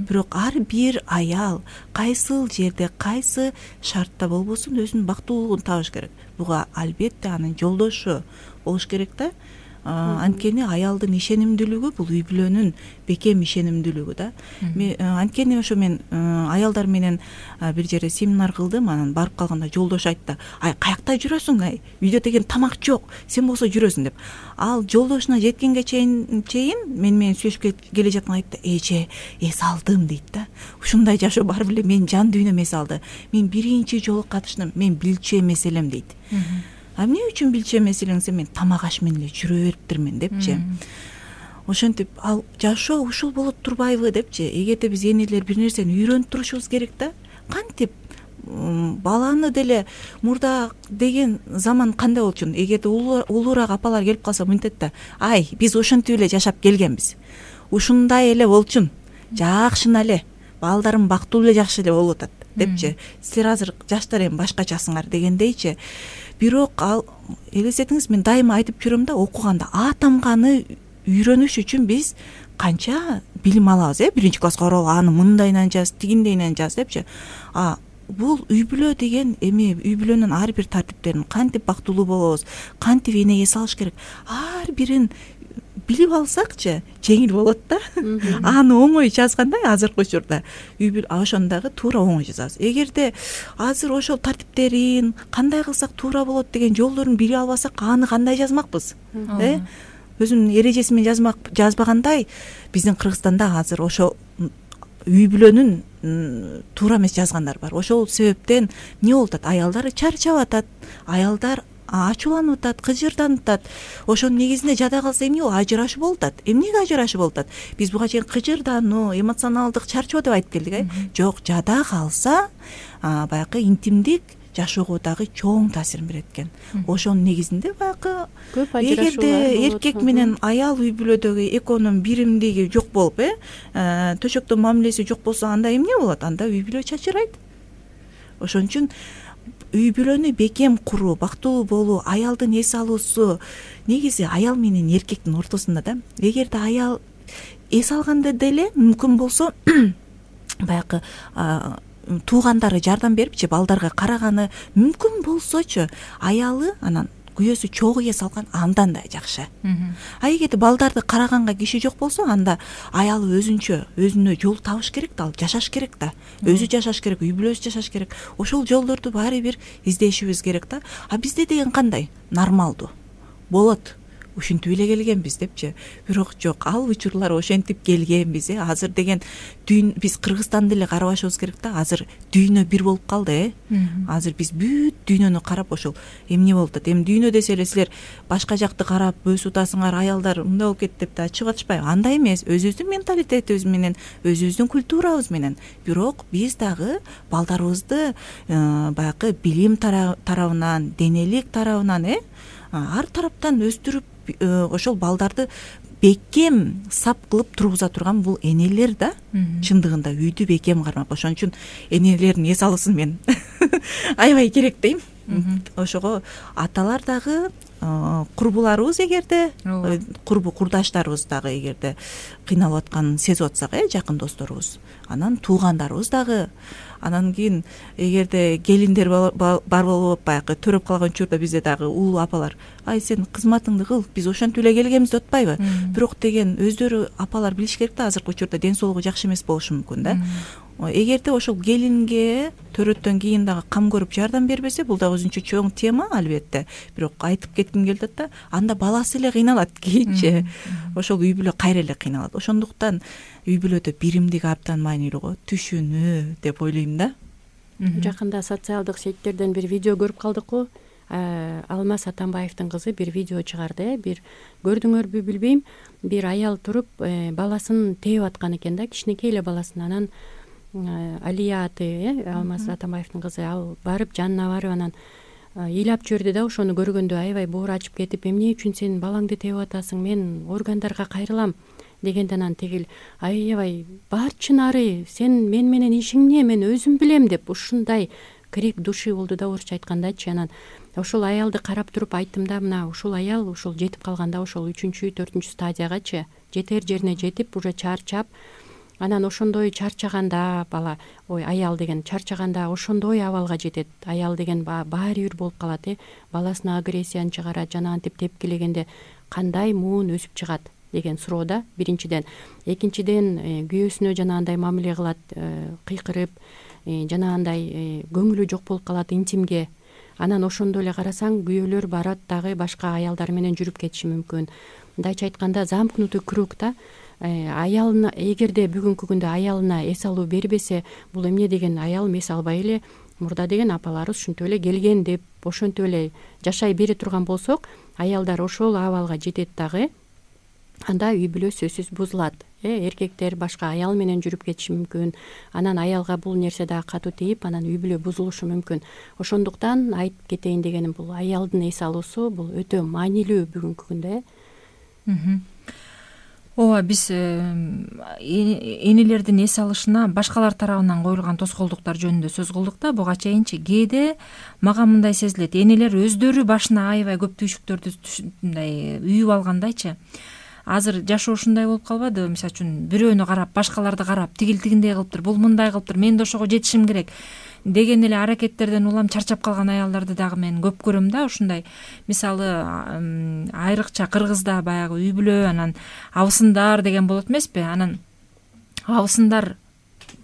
бирок ар бир аял кайсыл жерде, кайсы шартта болбосун өзүнүн бактылуулугун табыш керек. Буга албетте анын жолдошу болуш керек да. Анткени аялдын ишенимдүүлүгү бул үй бүлөнүн бекем ишенимдүүлүгү да. Анткени ошо мен аялдар менен бир жерде семинар кылдым, анан барып калганда жолдош айтты, ай каякта жүрөсүң, ай үйдө деген тамак жок, сен болсо жүрөсүң деп. Ал жолдошуна жеткенге чейин мен менен сүйлөшүп келе жаткан айтты, эже эс алдым дейт да. Ушундай жашоо бар беле, мен жан дүйнөм эс алды. Мен биринчи жолу катыштым, мен билчү эмес элем дейт. Эмне үчүн билчү эмес элеңсе, мен тамак аш менен эле жүрө бериптирмин депчи. Ошентип, ал жашоо ушул болуп турбайбы депчи. Эгерде биз энелер бир нерсени үйрөнүп турушубуз керек да. Кантип баланы деле мурда деген заман кандай болчу? Эгерде улуураак апалар келип калса мынтет да, ай биз ошентип эле жашап келгенбиз. Ушундай эле болчун. Жакшына эле, балдарым бактылуу эле жакшы эле болуп атат депчи. Силер азыр жаштар эми башкачасыңар дегендейчи. Бирок ал элестетиңиз, мен дайыма айтып жүрөм да, окуганда А тамганы үйрөнүш үчүн биз канча билим алабыз, биринчи класска барып аны мындайынан жаз, тигиндейинен жаз депчи. Бул үй бүлө деген эми үй бүлөнүн ар бир тартиптерин кантип бактылуу болобуз, кантип эне эс алыш керек, ар бирин билип алсакчы жеңил болот да. Аны оңой жазгандай азыркы учурда ошону дагы туура оңой жазабыз. Эгерде азыр ошол тартиптерин кандай кылсак туура болот деген жолдорун биле албасак, аны кандай жазмакпыз? Өзүнүн эрежеси менен жазбагандай биздин Кыргызстанда азыр ошо үй бүлөнүн туура эмес жазгандар бар. Ошол себептен эмне болуп атат? Аялдар чарчап атат, аялдар ачууланып атат, кыжырданып атат. Ошонун негизинде жада калса эмне болот? Ажырашуу болуп атат. Эмнеге ажырашуу болуп атат? Биз буга чейин кыжырдануу, эмоционалдык чарчоо деп айтып келдик, Жок, жада калса баягы интимдик жашоого дагы чоң таасирин берет экен. Ошонун негизинде баягы көп ажырашуулар эгерде эркек менен аял үй бүлөдөгү экөөнүн биримдиги жок болуп, төшөктө мамилеси жок болсо, анда эмне болот? Анда үй бүлө чачырайт. Ошон үчүн үй бүлөнү бекем куруу, бактылуу болуу, аялдын эс алуусу негизи аял менен эркектин ортосунда да. Эгерде аял эс алганда деле мүмкүн болсо баягы туугандары жардам берипчи, балдарга караганы мүмкүн болсочу, аялы анан күйөөсү чогуу эс алган, андан да жакшы. А эгерде балдарды караганга киши жок болсо, анда аялы өзүнө жол табыш керек да, ал жашаш керек да. Өзү жашаш керек, үй бүлөсү жашаш керек. Ошол жолдорду баары бир издешибиз керек да. А бизде деген кандай? Нормалдуу. Болот. Ушинтип эле келгенбиз депчи. Бирок жок, ал учурлар ошентип келгенбиз. Азыр деген биз Кыргызстанды эле карабашыбыз керек да. Азыр дүйнө бир болуп калды. Азыр биз бүт дүйнөнү карап ошол эмне болуп атат? Эми дүйнө десе эле силер башка жакты карап өз утасыңар, аялдар мындай болуп кетти деп да чыгып атышпайбы? Андай эмес. Өзүбүздүн менталитетибиз менен, өзүбүздүн культурабыз менен. Бирок биз дагы балдарыбызды баягы билим тарабынан, денелик тарабынан, ар тараптан өстүрүп ошол балдарды бекем сап кылып тургуза турган бул энелер да. Чындыгында үйдү бекем кармак. Ошон үчүн энелердин эс алуусун мен аябай керек дейм. Ошого аталар дагы, курбуларыбыз эгерде, курбу курдаштарыбыз дагы эгерде кыйналып атканын сезип атсак, жакын досторубуз, анан туугандарыбыз дагы, анан кийин эгерде келиндер бар болуп баягы төрөп калган учурда бизде дагы улуу апалар, ай сен кызматыңды кыл, биз ошентип эле келгенбиз деп атпайбы? Бирок деген өздөрү апалар билиш керек да, азыркы учурда ден соолугу жакшы эмес болушу мүмкүн да. Эгерде ошол келинге төрөттөн кийин дагы кам көрүп жардам бербесе, бул дагы өзүнчө чоң тема албетте. Бирок айтып кетким келип атат да, анда баласы эле кыйналат кийинчи. Ошол үй бүлө кайра эле кыйналат. Ошондуктан үй бүлөдө биримдик абдан маанилүү го, түшүнүү деп ойлойм да. Жакында социалдык сеттерден бир видео көрүп калдык го. Алмаз Атамбаевдин кызы бир видео чыгарды. Бир көрдүңөрбү билбейм, бир аял туруп баласын тээп аткан экен да, кичинекей эле баласын. Анан Алия аты, Алмаз Атамбаевдин кызы, ал барып жанына барып анан ыйлап жиберди да. Ошону көргөндө аябай боор ачып кетип, эмне үчүн сен балаңды тээп атасың, мен органдарга кайрылам дегенде, анан тигил аябай барчынары, сен мен менен ишиң эмне, мен өзүм билем деп ушундай крик души болду да, орусча айткандачы. Анан ошол аялды карап туруп айттым да, мына ушул аял ушул жетип калганда, ошол 3-4 стадиягачы жетер жерине жетип, уже чарчап, анан ошондой чарчаганда бала, аял деген чарчаганда ошондой абалга жетет. Аял деген баары бир болуп калат, баласына агрессияны чыгарат, жана антип тепкилегенде кандай муун өсүп чыгат деген суроо да, биринчиден. Экинчиден, күйөөсүнө жанагындай мамиле кылат, кыйкырып, жанагындай көңүлү жок болуп калат интимге. Анан ошондой эле карасаң, күйөөлөр барат дагы башка аялдар менен жүрүп кетиши мүмкүн. Мындайча айтканда, замкнутый круг да. Аялына, эгерде бүгүнкү күндө аялына эс алуу бербесе, бул эмне деген, аял эс албай эле мурда деген апаларыбыз ушинтип эле келген деп, ошентип эле жашай бере турган болсок, аялдар ошол абалга жетет дагы, анда үй бүлө сөзсүз бузулат. Эркектер башка аял менен жүрүп кетиши мүмкүн. Анан аялга бул нерсе дагы катуу тийип, анан үй бүлө бузулушу мүмкүн. Ошондуктан айтып кетейин дегеним, бул аялдын эс алуусу бул өтө маанилүү бүгүнкү күндө. Ооба, биз энелердин эс алышына башкалар тарабынан коюлган тоскоолдуктар жөнүндө сөз кылдык да. Буга чейинчи кээде мага мындай сезилет, энелер өздөрү башына аябай көп түйшүктөрдү мындай үйүп алгандайчы. Азыр жашоо ушундай болуп калбадыбы? Мисалы үчүн бирөөнү карап, башкаларды карап, тигиндей кылыптыр, бул мындай кылыптыр, мен да ошого жетишим керек деген эле аракеттерден улам чарчап калган аялдарды дагы мен көп көрөм да. Ушундай мисалы айрыкча Кыргызда баягы үй бүлө, анан абысындар деген болот эмеспи? Анан абысындар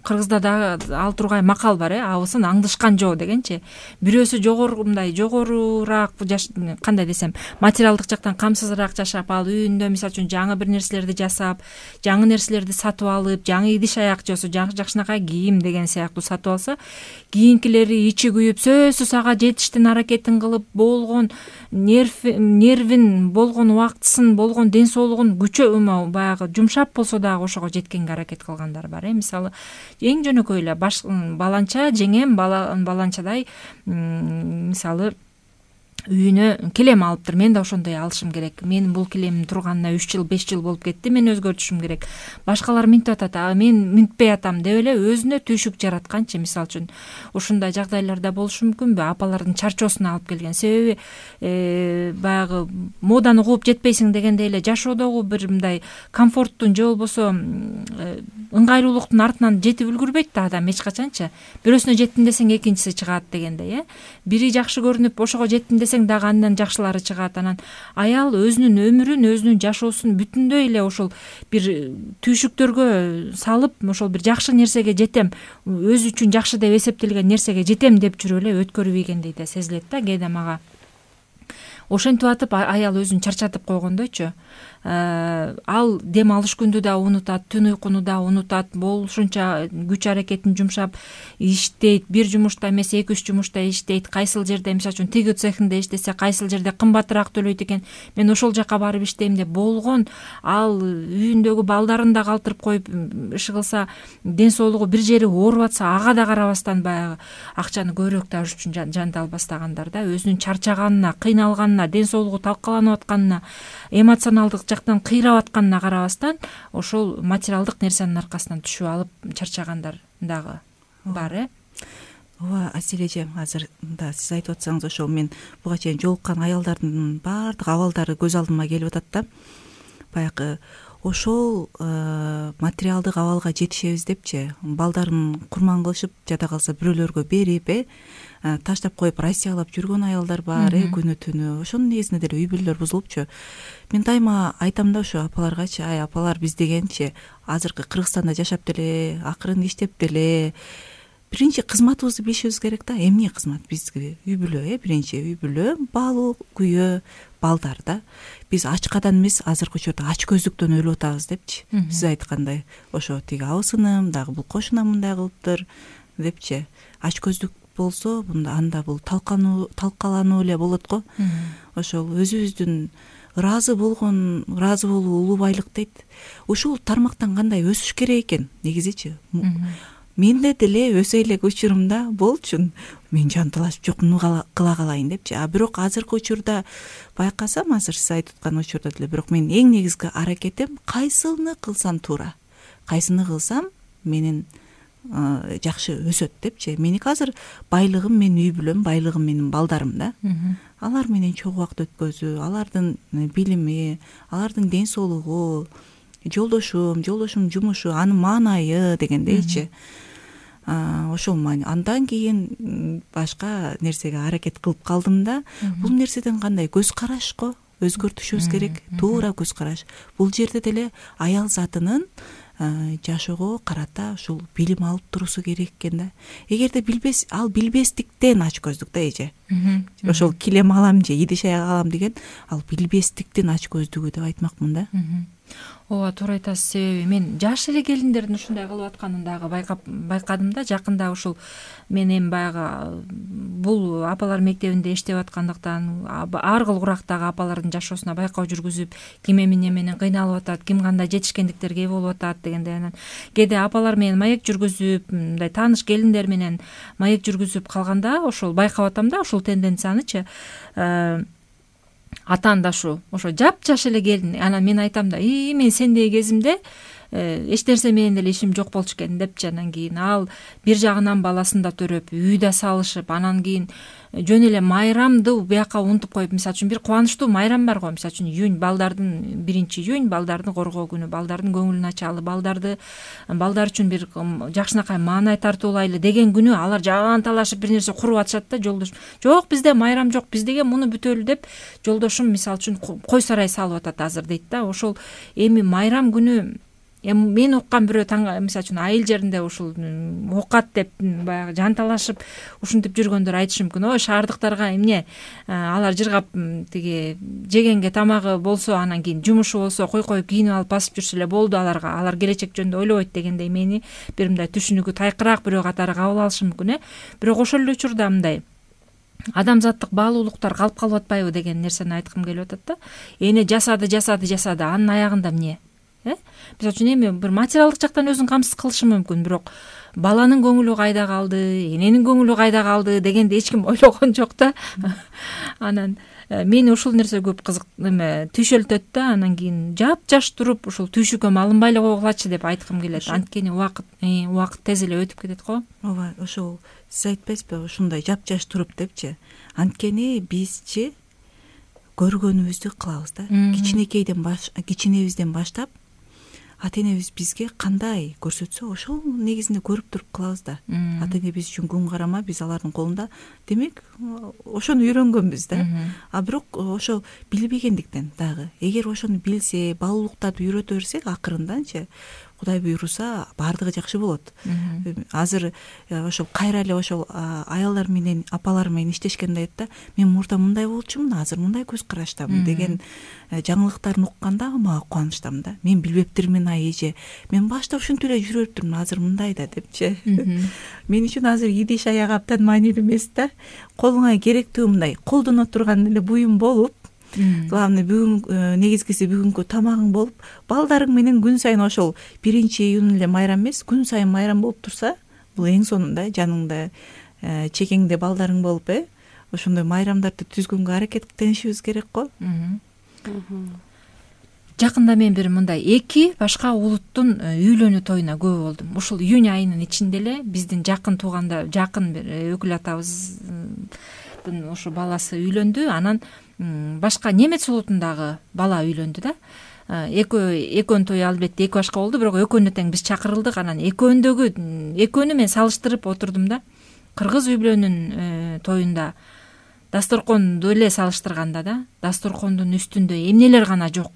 Кыргызда дагы ал тургай макал бар, абысын аңдышкан жоо дегенчи. Бирөөсү жогорураак кандай десем, материалдык жактан камсызыраак жашап, ал үйүндө мисалы үчүн жаңы бир нерселерди жасап, жаңы нерселерди сатып алып, жаңы идиш аяк жосу, жакшынакай кийим деген сыяктуу сатып алса, кийинкилери ичи күйүп, сөзсүз ага жетиштин аракетин кылып, болгон нервин, болгон убактысын, болгон ден соолугун баягы жумшап болсо дагы ошого жеткенге аракет кылгандар бар. Мисалы эң жөнөкөй эле баланча жеңем баланчадай мисалы үйүнө килем алыптыр. Мен да ошондой алышым керек. Менин бул килемим турганына 3 жыл 5 жыл болуп кетти. Мен өзгөртүшүм керек. Башкалар минтип атат, мен минтпей атам деп эле өзүнө түйшүк жаратканчы. Мисалы үчүн ушундай жагдайларда болушу мүмкүнбү? Апалардын чарчоосуна алып келген. Себеби баягы моданы кууп жетпейсиң дегендей эле жашоодогу бир мындай комфорттун же болбосо ыңгайлуулуктун артынан жетип үлгүрбөйт да адам эч качанчы. Бирөөсүнө жеттим десең экинчиси чыгат дегендей, Бири жакшы көрүнүп ошого жеттим десең дагы андан жакшылары чыгат. Анан аял өзүнүн өмүрүн, өзүнүн жашоосун бүтүндөй эле ошол бир түйшүктөргө салып, ошол бир жакшы нерсеге жетем, өзү үчүн жакшы деп эсептелген нерсеге жетем деп жүрүп эле өткөрүп ийгендей да сезилет да кээде мага. Ошентип атып аял өзүн чарчатып койгондойчу. Ал дем алыш күндү да унутат, түн уйкуну да унутат, болушунча күч аракетин жумшап иштейт. Бир жумушта эмес, 2-3 жумушта иштейт. Кайсыл жерде мисалы үчүн тиги цехинде иштесе, кайсыл жерде кымбатыраак төлөйт экен. Мен ошол жака барып иштейм деп болгон. Ал үйүндөгү балдарын да калтырып коюп иш кылса, ден соолугу бир жери ооруп атса, ага да карабастан баягы акчаны көбүрөөк табыш үчүн жанды албастагандар да. Өзүнүн чарчаганына, кыйналганына, ден соолугу талкаланып атканына, эмоционалдык жактан кыйрап атканына карабастан ошол материалдык нерсенин аркасынан түшүп алып чарчагандар дагы бар. Ооба, Асель эже, азыр да сиз айтып атсаңыз, ошол мен буга чейин жолуккан аялдардын баардык абалдары көз алдыма келип атат да. Баягы ошол материалдык абалга жетишебиз депчи, балдарын курман кылышып, жада калса бирөөлөргө берип, таштап коюп Россиялап жүргөн аялдар бар, күнү түнү. Ошонун негизинде деле үй бүлөлөр бузулупчу. Мен дайыма айтам да ушу апаларгачы, апалар биз дегенчи азыркы Кыргызстанда жашап деле, акырын иштеп деле биринчи кызматыбызды билишибиз керек да. Эмне кызмат? Бизге үй бүлө, биринчи үй бүлө, балуу, күйөө, балдар да. Биз ачкадан эмес, азыркы учурда ач көздүктөн өлүп атабыз депчи. Сиз айткандай, ошо тиги абысыным дагы бул кошунам мындай кылыптыр депчи. Ач көздүк болсо, анда бул талкалануу эле болот го. Ошол өзүбүздүн ыраазы болуу улуу байлык дейт. Ушул тармактан кандай өсүш керек экен негизичи? Менде деле өсө элек учурумда болчу. Мен жанталашып жок, муну кыла калайын депчи. Бирок азыркы учурда байкасам, азыр сиз айтып аткан учурда деле, бирок менин эң негизги аракетим кайсыны кылсам туура, кайсыны кылсам менин жакшы өсөт депчи. Меники азыр байлыгым менин үй бүлөм, байлыгым менин балдарым да. Алар менен чогуу убакыт өткөзүү, алардын билими, алардын ден соолугу, жолдошум жумушу, анын маанайы дегендейчи. Ошол маани. Андан кийин башка нерсеге аракет кылып калдым да. Бул нерседен кандай көз караш го өзгөртүшүбүз керек, туура көз караш. Бул жерде деле аял затынын жашоого карата ушул билим алып турусу керек экен да. Эгерде билбестиктен ач көздүк да эже. Ошол килем алам же идиш аяк алам деген, ал билбестиктен ач көздүгү деп айтмакмын да. Ооба, туура айтасыз. Себеби мен жаш эле келиндердин ушундай кылып атканын дагы байкадым да. Жакында ушул мен эми баягы бул апалар мектебинде иштеп аткандыктан ар кыл курактагы апалардын жашоосуна байкоо жүргүзүп, ким эмне менен кыйналып атат, ким кандай жетишкендиктерге ээ болуп атат дегендей. Анан кээде апалар менен маек жүргүзүп, мындай тааныш келиндер менен маек жүргүзүп калганда ошол байкап атам да, ушул тенденциянычы. Атаандашу ошо жапжаш эле келин. Анан мен айтам да, мен сендей кезимде эч нерсе менен деле ишим жок болчу экен депчи. Анан кийин ал бир жагынан баласын да төрөп, үй да салышып, анан кийин жөн эле майрамды бияка унутуп коюп, мисалы үчүн бир кубанычтуу майрам бар го, мисалы үчүн июнь, балдардын 1-июнь, балдарды коргоо күнү, балдардын көңүлүн ачалы, балдар үчүн бир жакшынакай маанай тартуулайлы деген күнү алар жаан талашып бир нерсе куруп атышат да. Жолдошум: жок, бизде майрам жок, биз деген муну бүтөлү деп жолдошум мисалы үчүн кой сарай салып атат азыр дейт да. Ошол эми майрам күнү мен уккан бирөө мисалы үчүн айыл жеринде ушул окат деп баягы жанталашып ушинтип жүргөндөр айтышы мүмкүн: ой, шаардыктарга эмне, алар жыргап тиги жегенге тамагы болсо, анан кийин жумушу болсо кой коюп кийинип алып басып жүрсө эле болду, алар келечек жөнүндө ойлобойт дегендей мени бир мындай түшүнүгү тайкыраак бирөө катары кабыл алышы мүмкүн. Бирок ошол эле учурда мындай адамзаттык баалуулуктар калып калып атпайбы деген нерсени айткым келип атат да. Эне жасады, анын аягында эмне? Мисалы үчүн эми бир материалдык жактан өзүн камсыз кылышы мүмкүн, бирок баланын көңүлү кайда калды, эненин көңүлү кайда калды дегенди эч ким ойлогон жок да. Анан мени ушул нерсе көп түйшөлтөт да. Анан кийин жапжаш туруп ушул түйшүккө алынбай эле койгулачы деп айткым келет. Анткени убакыт тез эле өтүп кетет го. Ооба, ошол сиз айтпайсызбы, ушундай жапжаш туруп депчи. Анткени бизчи көргөнүбүздү кылабыз да. Кичинебизден баштап ата энебиз бизге кандай көрсөтсө ошол негизинде көрүп туруп кылабыз да. Ата эне биз үчүн күн карама, биз алардын колунда. Демек, ошону үйрөнгөнбүз да. Бирок ошол билбегендиктен дагы, эгер ошону билсе, баалуулуктарды үйрөтө берсек, акырынданчы Кудай буйруса баардыгы жакшы болот. Азыр ошол кайра эле ошол аялдар менен, апалар менен иштешкенде айтат да: мен мурда мындай болчумун, азыр мындай көз караштамын деген жаңылыктарын укканда мага кубанычтамын да. Мен билбептирмин эже. Мен башта ушинтип эле жүрүп өттүм, азыр мындай да депчи. Мен үчүн азыр идиш аяк абдан маанилүү эмес да. Колуңа керектүү мындай колдоно турган эле буюм болуп, главный бүгүн негизгиси бүгүнкү тамагың болуп, балдарың менен күн сайын ошол 1-июнь эле майрам эмес, күн сайын майрам болуп турса, бул эң сонунда жаныңда чекеңде балдарың болуп, ошондой майрамдарды түзгөнгө аракеттенишибиз керек го. Жакында мен бир мындай 2 башка улуттун үйлөнүү тоюна күбө болдум. Ушул июнь айынын ичинде эле биздин жакын тууганда, жакын бир өкүл атабыздын ошо баласы үйлөндү. Анан башка немец улутундагы бала үйлөндү да. Экөөнүн тою албетте 2 башка болду, бирок экөөнү тең биз чакырылдык. Анан экөөнү мен салыштырып отурдум да. Кыргыз үй бүлөнүн тоюнда дасторконду эле салыштырганда да, дасторкондун үстүндө эмнелер гана жок.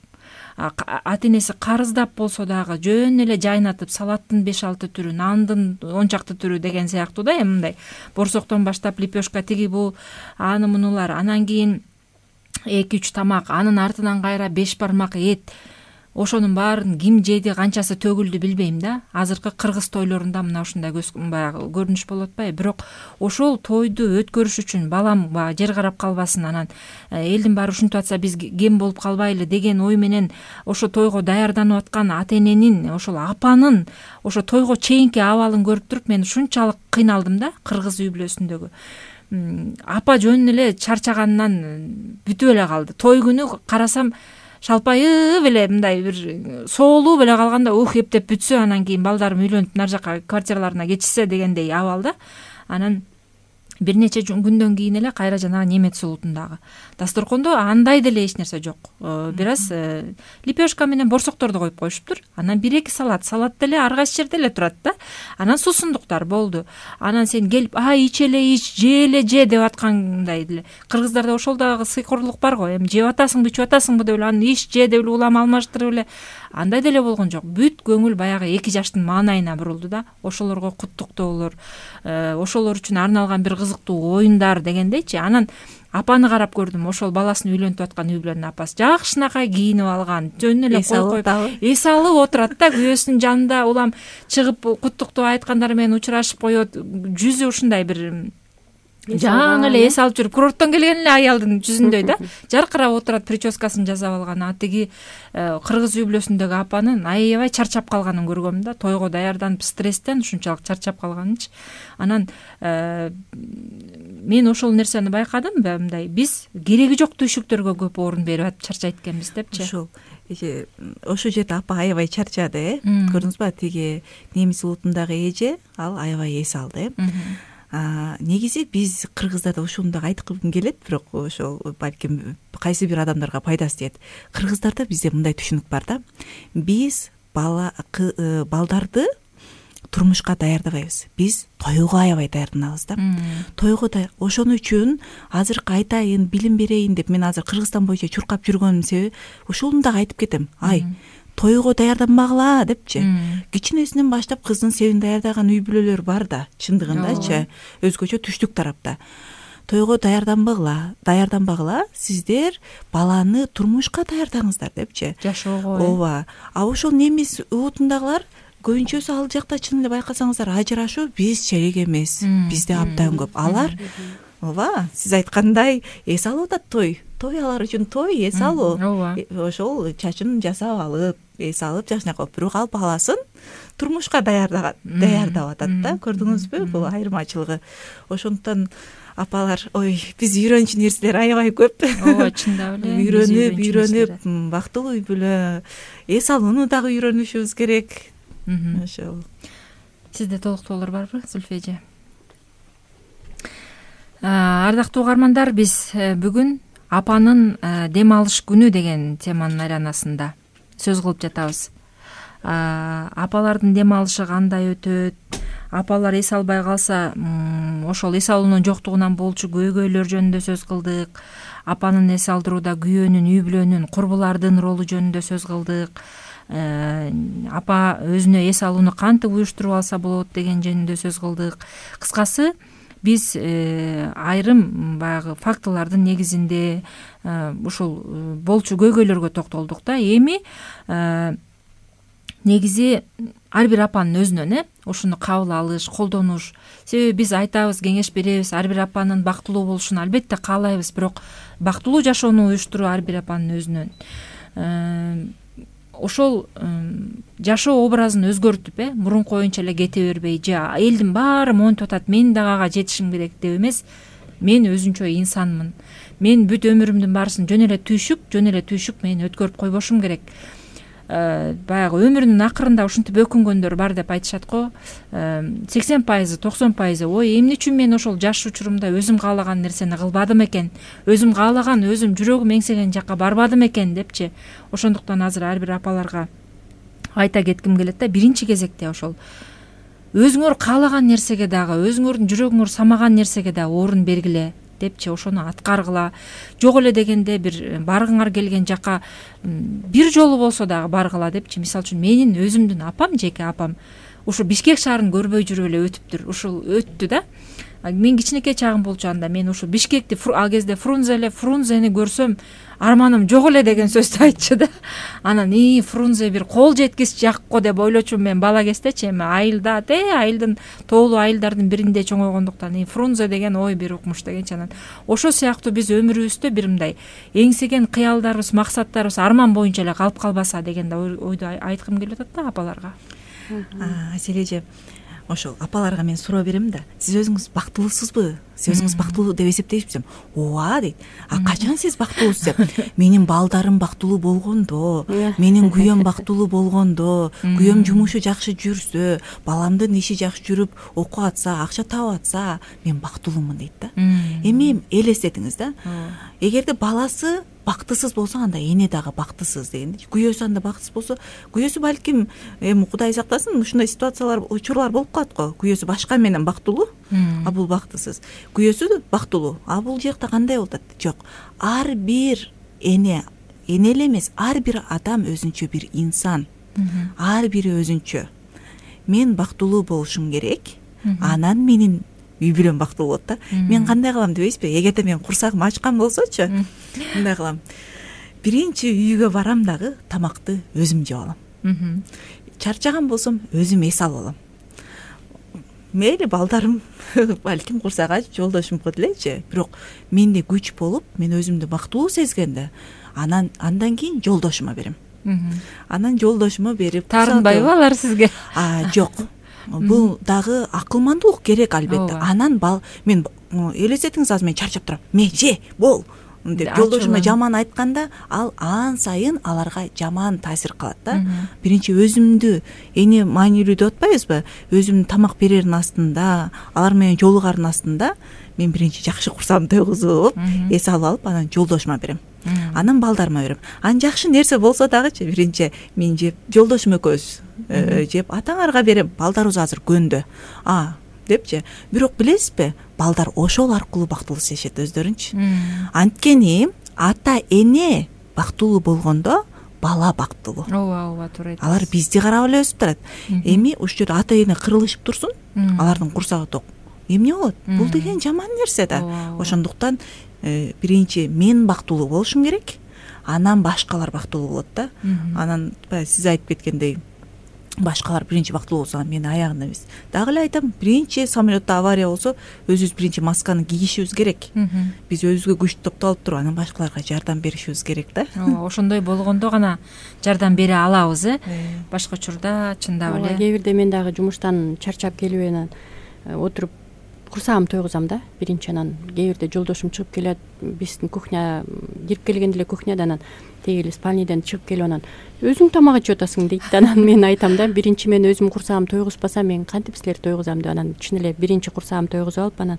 Ата энеси карыздап болсо дагы жөн эле жайнатып, салаттын 5-6 түрү, нандын 10 чакты түрү деген сыяктуу да, мындай борсоктон баштап лепешка, тиги бул, аны мунулар, анан кийин 2-3 тамак, анын артынан кайра 5 бармак эт. Ошонун баарын ким жеди, канчасы төгүлдү билбейм да. Азыркы кыргыз тойлорунда мына ушундай баягы көрүнүш болуп атпайбы? Бирок ошол тойду өткөрүш үчүн балам жер карап калбасын, анан элдин баары ушинтип атса биз кем болуп калбайлы деген ой менен ошо тойго даярданып аткан ата эненин, ошол апанын ошо тойго чейинки абалын көрүп туруп мен ушунчалык кыйналдым да. Кыргыз үй бүлөсүндөгү апа жөн эле чарчаганынан бүтүп эле калды. Той күнү карасам шалпайып эле мындай бир соолуп эле калганда, эптеп бүтсө, анан кийин балдарым үйлөнүп нар жака квартираларына кетишсе дегендей абалда. Анан бир нече күндөн кийин эле кайра жанагы немец улутундагы дасторкондо андай деле эч нерсе жок. Бир аз лепешка менен борсокторду коюп коюшуптур. Анан 1-2 салат деле ар кайсы жерде эле турат да. Анан суусундуктар болду. Анан сен келип ич эле ич, же деп аткандай деле. Кыргыздарда ошол дагы сыйкорлук бар го. Эми жеп атасыңбы, ичип атасыңбы деп эле анан ич, же деп эле улам алмаштырып эле. Андай деле болгон жок. Бүт көңүл баягы 2 жаштын маанайына бурулду да. Ошолорго куттуктоолор, ошолор үчүн арналган бир кызыктуу оюндар дегендейчи. Анан апаны карап көрдүм. Ошол баласын үйлөнтүп аткан үй бүлөнүн апасы жакшынакай кийинип алган, жөн эле эс алып отурат да, күйөөсүнүн жанында улам чыгып куттуктоо айткандар менен учурашып коет. Жүзү ушундай бир жаңы эле эс алып жүрүп, курорттон келген эле аялдын жүзүндөй да, жаркырап отурат, прическасын жасап алган. Тиги кыргыз үй бүлөсүндөгү апанын аябай чарчап калганын көргөм да. Тойго даярданып стресстен ушунчалык чарчап калганынчы. Анан мен ошол нерсени байкадым, мындай биз кереги жок түйшүктөргө көп орун берип атып чарчайт экенбиз депчи. Ошол жерде апа аябай чарчады, көрдүңүзбү? Тиги немис улутундагы эже ал аябай эс алды. Негизи биз кыргыздарда ушуну да айткым келет, бирок ошол балким кайсы бир адамдарга пайдасы тиет. Кыргыздарда бизде мындай түшүнүк бар да: биз балдарды турмушка даярдабайбыз, биз тойго аябай даярданабыз да. Тойго ошон үчүн азыркы айтайын, билим берейин деп мен азыр Кыргызстан боюнча чуркап жүргөнүм себеби ошону дагы айтып кетем. Тойго даярданбагыла депчи. Кичинесинен баштап кыздын себин даярдаган үй бүлөлөр бар да, чындыгындачы, өзгөчө түштүк тарапта. Тойго даярданбагыла, сиздер баланы турмушка даярдаңыздар депчи. Жашоого. Ооба. Ошол немис улутундагылар көбүнчөсү ал жакта чын эле байкасаңыздар ажырашуу бизче эле эмес. Бизде абдан көп. Алар ооба, сиз айткандай эс алып атат той алар үчүн той, эс алуу. Ошол чачын жасап алып, эс алып жашнап коюп, бирок ал баласын турмушка даярдап атат да. Көрдүңүзбү бул айырмачылыгы? Ошондуктан апалар, биз үйрөнчү нерселер аябай көп. Ооба, чындап эле. Үйрөнүп, бактылуу үй бүлө, эс алууну дагы үйрөнүшүбүз керек. Ошол. Сизде толуктоолор барбы, Зульфия эже? Ардактуу угармандар, биз бүгүн апанын дем алыш күнү деген теманын айланасында сөз кылып жатабыз. Апалардын дем алышы кандай өтөт? Апалар эс албай калса, ошол эс алуунун жоктугунан болчу көйгөйлөр жөнүндө сөз кылдык. Апанын эс алдырууда күйөөнүн, үй бүлөнүн, курбулардын ролу жөнүндө сөз кылдык. Апа өзүнө эс алууну кантип уюштуруп алса болот деген жөнүндө сөз кылдык. Кыскасы, биз айрым баягы фактылардын негизинде ушул болчу көйгөйлөргө токтолдук да. Эми негизи ар бир апанын өзүнөн ушуну кабыл алыш, колдонуш. Себеби биз айтабыз, кеңеш беребиз, ар бир апанын бактылуу болушун албетте каалайбыз, бирок бактылуу жашоону уюштуруу ар бир апанын өзүнөн. Ошол жашоо образын өзгөртүп, мурунку оюнча эле кете бербей, же элдин баары монтип атат, мен дагы ага жетишим керек деп эмес, мен өзүнчө инсанмын. Мен бүт өмүрүмдүн баарысын жөн эле түйшүк мен өткөрүп койбошум керек. Баягы өмүрүнүн акырында ушинтип өкүнгөндөр бар деп айтышат го. 80%, 90% ой, эмне үчүн мен ошол жаш учурумда өзүм каалаган нерсени кылбадым экен, өзүм каалаган, өзүм жүрөгүм эңсеген жакка барбадым экен депчи. Ошондуктан азыр ар бир апаларга айта кетким келет да, биринчи кезекте ошол өзүңөр каалаган нерсеге дагы, өзүңөрдүн жүрөгүңөр самаган нерсеге дагы орун бергиле депчи, ошону аткаргыла. Жок эле дегенде бир баргыңар келген жакка бир жолу болсо дагы баргыла депчи. Мисалы үчүн менин өзүмдүн апам, жеке апам ушу Бишкек шаарын көрбөй жүрүп эле өтүптүр. Ушул өттү да. Мен кичинекей чагым болчу анда, мен ушу Бишкекти ал кезде Фрунзени көрсөм арманым жок эле деген сөздү айтчу да. Анан Фрунзе бир кол жеткис жакко деп ойлочумун мен бала кездечи. Эми айылдын тоолуу айылдардын биринде чоңойгондуктан Фрунзе деген ой бир укмуш дегенчи. Анан ошол сыяктуу биз өмүрүбүздө бир мындай эңсеген кыялдарыбыз, максаттарыбыз арман боюнча эле калып калбаса деген да ойду айткым келип атат да апаларга. Аселе эже, ошол апаларга мен суроо берем да, сиз өзүңүз бактылуусузбу? Сиз өзүңүз бактылуу деп эсептейсизби? Ооба дейт. Качан сиз бактылуусуз деп? Менин балдарым бактылуу болгондо, менин күйөөм бактылуу болгондо, күйөөм жумушу жакшы жүрсө, баламдын иши жакшы жүрүп, окуп атса, акча таап атса, мен бактылуумун дейт да. Эми элестетиңиз да. Эгерде баласы бактысыз болсо, анда эне дагы бактысыз дегенди. Күйөөсү анда бактысыз болсо, күйөөсү балким эми Кудай сактасын, ушундай ситуациялар, учурлар болуп калат го. Күйөөсү башка менен бактылуу, а бул бактысыз. Күйөөсү бактылуу, а бул жакта кандай болуп атат? Жок. Ар бир эне эле эмес, ар бир адам өзүнчө бир инсан. Ар бири өзүнчө. Мен бактылуу болушум керек. Анан менин үй бүлөм бактылуу болот да. Мен кандай кылам дебейсизби? Эгерде мен курсагым ачкан болсочу, мындай кылам. Биринчи үйгө барам дагы тамакты өзүм жеп алам. Чарчаган болсом өзүм эс алып алам. Мейли балдарым балким курсак ачып жолдошум кылып элечи, бирок менде күч болуп, мен өзүмдү бактылуу сезгенде, андан кийин жолдошума берем. Анан жолдошума берип таарынбайбы алар сизге? Жок. Бул дагы акылмандуулук керек албетте. Анан мен элестетиңиз, азыр мен чарчап турам, мен же бол деп жолдошума жаман айтканда, ал ан сайын аларга жаман таасир кылат да. Биринчи өзүмдү эне маанилүү деп атпайбызбы? Өзүмдүн тамак берердин астында, алар менен жолугардын астында мен биринчи жакшы курсам тойгузуп, эс алып анан жолдошума берем. Анан балдарыма берем. Анан жакшы нерсе болсо дагычы биринчи мен жеп, жолдошум экөөбүз жеп атаңарга берем. Балдарыбыз азыр көндө депчи. Бирок билесизби, балдар ошол аркылуу бактылуу сезишет өздөрүнчү. Анткени ата эне бактылуу болгондо бала бактылуу. Ооба, туура айтасыз. Алар бизди карап эле өсүп турат. Эми ушул жерде ата эне кырылышып турсун, алардын курсагы ток. Эмне болот? Бул деген жаман нерсе да. Ошондуктан биринчи мен бактылуу болушум керек, анан башкалар бактылуу болот да. Анан сиз айтып кеткендей, башкалар биринчи бактылуу болсо мен аягында эмес. Дагы эле айтам, биринчи самолетто авария болсо өзүбүз биринчи масканы кийишибиз керек. Биз өзүбүзгө күч топтолуп туруп анан башкаларга жардам беришибиз керек да. Ошондой болгондо гана жардам бере алабыз, башка учурда чындап эле. Кээ бирде мен дагы жумуштан чарчап келип анан отуруп курсагым тойгузам да биринчи. Анан кээ бирде жолдошум чыгып келет, биздин кухня кирип келгенде эле кухняда анан тегил спальниден чыгып келип анан өзүң тамак ичип атасың дейт. Анан мен айтам да, биринчи мен өзүм курсагым тойгузбасам мен кантип силерди тойгузам деп. Анан чын эле биринчи курсагым тойгузуп алып, анан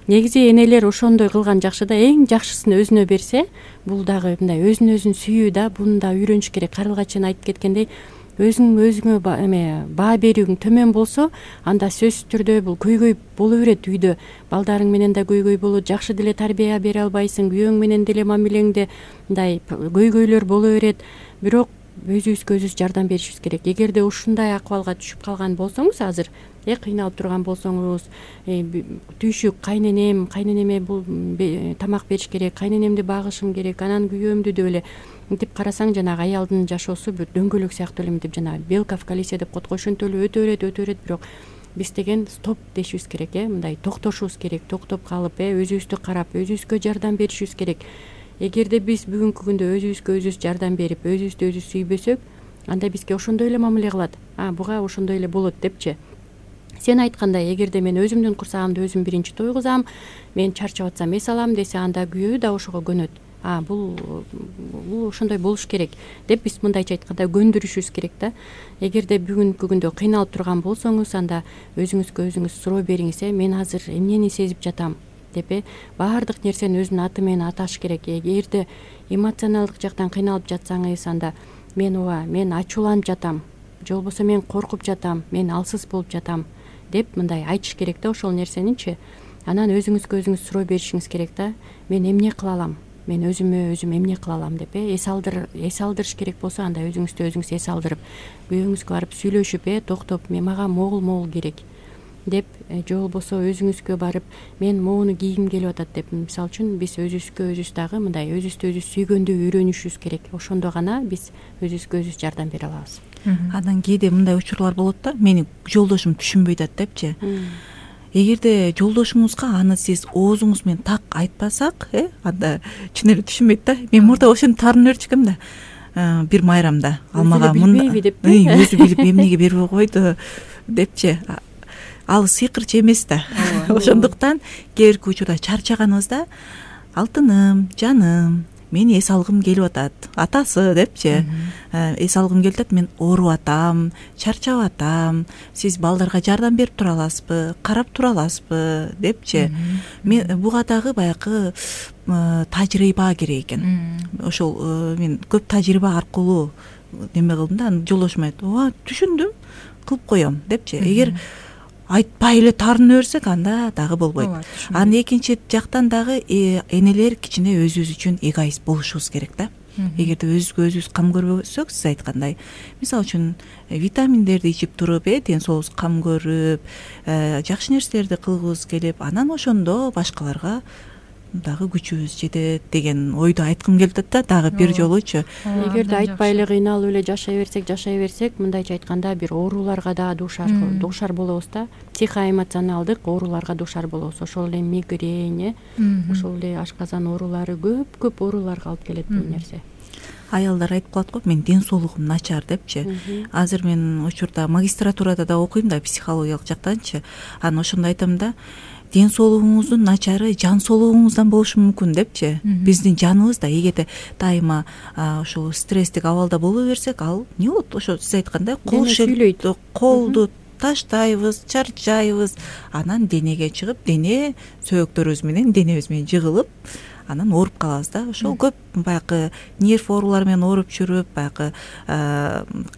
негизи энелер ошондой кылган жакшы да. Эң жакшысын өзүнө берсе, бул дагы мындай өзүн өзүн сүйүү да, буну да үйрөнүш керек. Карылга чейин айтып кеткендей, өзүңө баа берүүң төмөн болсо, анда сөзсүз түрдө бул көйгөй боло берет үйдө. Балдарың менен да көйгөй болот, жакшы деле тарбия бере албайсың, күйөөң менен деле мамилеңде мындай көйгөйлөр боло берет. Бирок өзүбүзгө өзүбүз жардам беришибиз керек. Эгерде ушундай акыбалга түшүп калган болсоңуз, азыр кыйналып турган болсоңуз, түйшүк кайненеме бул тамак бериш керек, кайненемди багышым керек, анан күйөөмдү деп эле мынтип карасаң, жанагы аялдын жашоосу бир дөңгөлөк сыяктуу эле мынтип жанагы белка в колесе деп коет го, ошентип эле өтө берет. Бирок биз деген стоп дешибиз керек, мындай токтошубуз керек, токтоп калып, өзүбүздү карап, өзүбүзгө жардам беришибиз керек. Эгерде биз бүгүнкү күндө өзүбүзгө өзүбүз жардам берип, өзүбүздү өзүбүз сүйбөсөк, анда бизге ошондой эле мамиле кылат. Буга ошондой эле болот депчи. Сен айткандай, эгерде мен өзүмдүн курсагымды өзүм биринчи тойгузам, мен чарчап атсам эс алам десе, анда күйөө да ошого көнөт. Бул ошондой болуш керек деп биз мындайча айтканда көндүрүшүбүз керек да. Эгерде бүгүнкү күндө кыйналып турган болсоңуз, анда өзүңүзгө өзүңүз суроо бериңиз, мен азыр эмнени сезип жатам деп. Баардык нерсени өзүнүн аты менен аташ керек. Эгерде эмоционалдык жактан кыйналып жатсаңыз, анда мен ачууланып жатам, же болбосо мен коркуп жатам, мен алсыз болуп жатам деп мындай айтыш керек да ошол нерсеничи. Анан өзүңүзгө өзүңүз суроо беришиңиз керек да. Мен эмне кыла алам? Мен өзүмө өзүм эмне кыла алам деп эс алдырыш керек болсо, анда өзүңүздү өзүңүз эс алдырып, күйөөңүзгө барып сүйлөшүп, токтоп, мага могул керек деп, же болбосо өзүңүзгө барып, мен могуну кийгим келип атат деп. Мисалы үчүн биз өзүбүзгө өзүбүз дагы мындай өзүбүздү өзүбүз сүйгөндү үйрөнүшүбүз керек. Ошондо гана биз өзүбүзгө өзүбүз жардам бере алабыз. Анан кээде мындай учурлар болот да, мени жолдошум түшүнбөй атат депчи. Эгерде жолдошуңузга аны сиз оозуңуз менен так айтпасак, анда чын эле түшүнбөйт да. Мен мурда ошентип таарынып өрчүкөм да. Бир майрамда ал мага өзү билип эмнеге бербей койду депчи. Ал сыйкырчы эмес да. Ошондуктан кээ бирки учурда чарчаганыбызда, алтыным, жаным, мен эс алгым келип атат, атасы депчи. Эс алгым келип атат, мен ооруп атам, чарчап атам, сиз балдарга жардам берип тура аласызбы, карап тура аласызбы депчи. Мен буга дагы баягы тажрыйба керек экен. Ошол мен көп тажрыйба аркылуу неме кылдым да. Жолдошум айтты, түшүндүм, кылып коем депчи. Эгер айтпай эле таарынып берсек, анда дагы болбойт. Анан экинчи жактан дагы энелер кичине өзүбүз үчүн эгоист болушубуз керек да. Эгерде өзүбүзгө өзүбүз кам көрбөсөк, сиз айткандай, мисалы үчүн витаминдерди ичип туруп, ден соолубузга кам көрүп, жакшы нерселерди кылгыбыз келип, анан ошондо башкаларга дагы күчүбүз жетет деген ойду айткым келип атат да, дагы бир жолучу. Эгерде айтпай эле кыйналып эле жашай берсек, мындайча айтканда бир ооруларга да дуушар болобуз да. Психоэмоционалдык ооруларга дуушар болобуз. Ошол эле мигрень, ошол эле ашказан оорулары, көп ооруларга алып келет бул нерсе. Аялдар айтып калат го, мен ден соолугум начар депчи. Азыр мен учурда магистратурада да окуйм да, психологиялык жактанчы. Анан ошондо айтам да, ден соолугуңуздун начары жан соолугуңуздан болушу мүмкүн депчи. Биздин жаныбыз да эгерде дайыма ушул стресстик абалда боло берсек, ал эмне болот? Ошо сиз айткандай колду таштайбыз, чарчайбыз, анан денеге чыгып, дене сөөктөрүбүз менен, денебиз менен жыгылып, анан ооруп калабыз да. Ошол көп баягы нерв оорулары менен ооруп жүрүп, баягы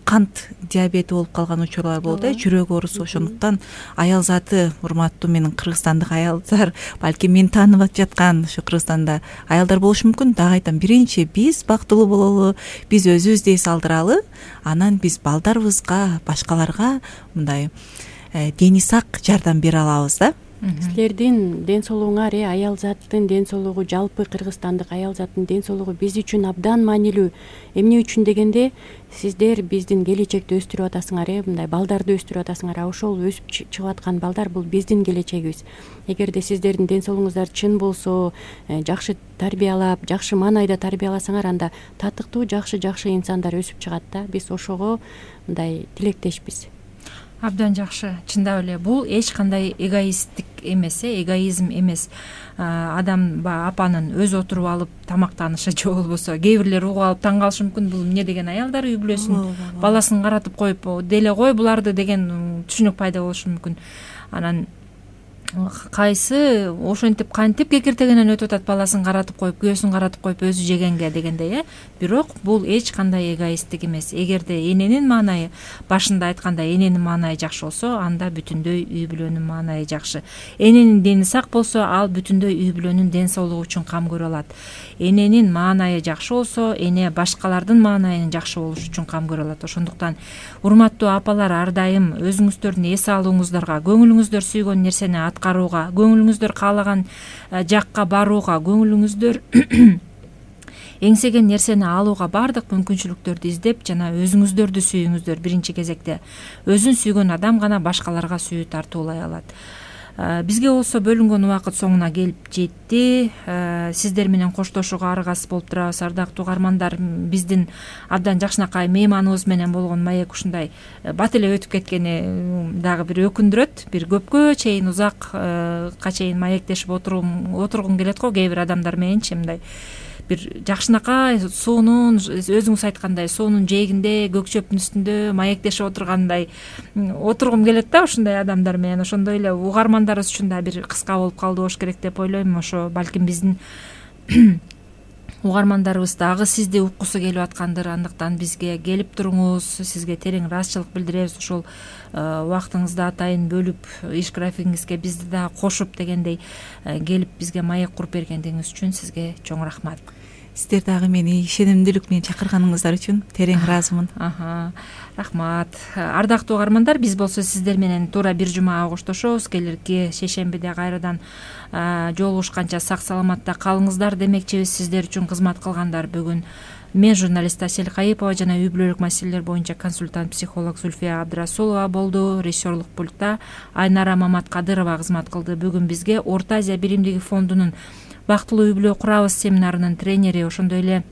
кант диабети болуп калган учурлар болот, жүрөк оорусу. Ошондуктан аял заты, урматтуу менин кыргызстандык аялдар, балким мени таанып жаткан ушу Кыргызстанда аялдар болушу мүмкүн. Дагы айтам, биринчи биз бактылуу бололу, биз өзүбүздү эс алдыралы, анан биз балдарыбызга, башкаларга мындай дени сак жардам бере алабыз да. Силердин ден соолугуңар, аял заттын ден соолугу, жалпы кыргызстандык аял заттын ден соолугу биз үчүн абдан маанилүү. Эмне үчүн дегенде, сиздер биздин келечекти өстүрүп атасыңар, мындай балдарды өстүрүп атасыңар. Ошол өсүп чыгып аткан балдар бул биздин келечегибиз. Эгерде сиздердин ден соолугуңуздар чын болсо, жакшы тарбиялап, жакшы маанайда тарбияласаңар, анда татыктуу, жакшы инсандар өсүп чыгат да. Биз ошого мындай тилектешпиз. Абдан жакшы. Чындап эле бул эч кандай эгоисттик эмес, эгоизм эмес. Адам апанын өзү отуруп алып тамактанышы же болбосо кээ бирлер угуп алып таң калышы мүмкүн, бул эмне деген аялдар үй бүлөсүн баласын каратып коюп деле кой буларды деген түшүнүк пайда болушу мүмкүн. Анан кайсы ошентип кантип кекиртегенен өтүп атат, баласын каратып коюп, күйөөсүн каратып коюп өзү жегенге дегендей, бирок бул эч кандай эгоисттик эмес. Эгерде эненин маанайы, башында айткандай, эненин маанайы жакшы болсо, анда бүтүндөй үй бүлөнүн маанайы жакшы. Эненин дени сак болсо, ал бүтүндөй үй бүлөнүн ден соолугу үчүн кам көрө алат. Эненин маанайы жакшы болсо, эне башкалардын маанайын жакшы болушу үчүн кам көрө алат. Ошондуктан урматтуу апалар, ар дайым өзүңүздөрдүн эс алууңуздарга, көңүлүңүздөр сүйгөн нерсени аткарууга, көңүлүңүздөр каалаган жакка барууга, көңүлүңүздөр эңсеген нерсени алууга баардык мүмкүнчүлүктөрдү издеп, жана өзүңүздөрдү сүйүңүздөр. Биринчи кезекте өзүн сүйгөн адам гана башкаларга сүйүү тартуулай алат. Бизге болсо бөлүнгөн убакыт соңуна келип жетти. Сиздер менен коштошууга аргасыз болуп турабыз, ардактуу угармандар. Биздин абдан жакшынакай мейманыбыз менен болгон маек ушундай бат эле өтүп кеткени дагы бир өкүндүрөт. Бир көпкө чейин, узакка чейин маектешип отургум келет го кээ бир адамдар мененчи, мындай бир жакшынакай суунун, өзүңүз айткандай, суунун жээгинде, көк чөптүн үстүндө маектешип отургандай отургум келет да ушундай адамдар менен. Ошондой эле угармандарыбыз үчүн да бир кыска болуп калды болуш керек деп ойлойм. Ошо балким биздин угармандарыбыз дагы сизди уккусу келип аткандыр. Андыктан бизге келип туруңуз, сизге терең ыраазычылык билдиребиз. Ошол убактыңызды атайын бөлүп, иш графигиңизге бизди да кошуп дегендей келип бизге маек куруп бергендигиңиз үчүн сизге чоң рахмат. Сиздер дагы мени ишенимдүүлүк менен чакырганыңыздар үчүн терең ыраазымын. Рахмат. Ардактуу угармандар, биз болсо сиздер менен туура бир жумага коштошобуз. Келирки шейшембиде кайрадан жолугушканча сак саламатта калыңыздар демекчибиз. Сиздер үчүн кызмат кылгандар бүгүн мен, журналист Асель Кайыпова жана үй бүлөлүк маселелер боюнча консультант психолог Зульфия Абдрасулова болду. Режиссерлук пультта Айнара Маматкадырова кызмат кылды. Бүгүн бизге Орто Азия биримдиги фондунун бактылуу үй бүлө курабыз семинарынын тренери, ошондой эле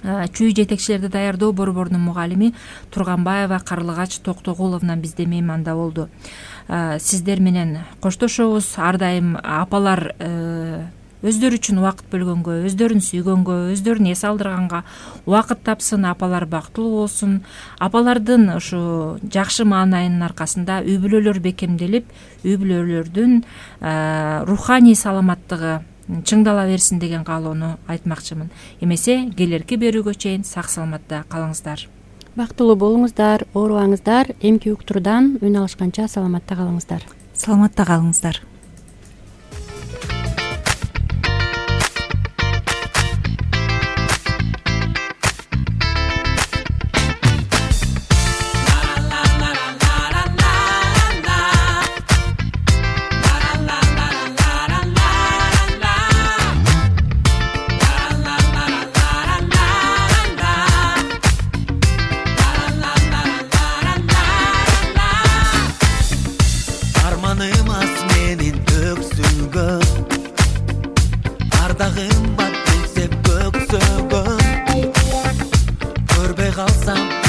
чүй жетекчилерди даярдоо борборунун мугалими Турганбаева Карлыгач Токтогуловна бизде мейманда болду. Сиздер менен коштошобуз. Ар дайым апалар өздөрү үчүн убакыт бөлгөнгө, өздөрүн сүйгөнгө, өздөрүн эс алдырганга убакыт тапсын. Апалар бактылуу болсун. Апалардын ушу жакшы маанайынын аркасында үй бүлөлөр бекемделип, үй бүлөлөрдүн руханий саламаттыгы чыңдала берсин деген каалоону айтмакчымын. Эмесе келерки берүүгө чейин сак саламатта калыңыздар. Бактылуу болуңуздар, оорубаңыздар. Эмки уктуруудан үн алышканча саламатта калыңыздар. Саламатта калыңыздар. Ардагым бар келсе көксөгөн, көрбөй калсам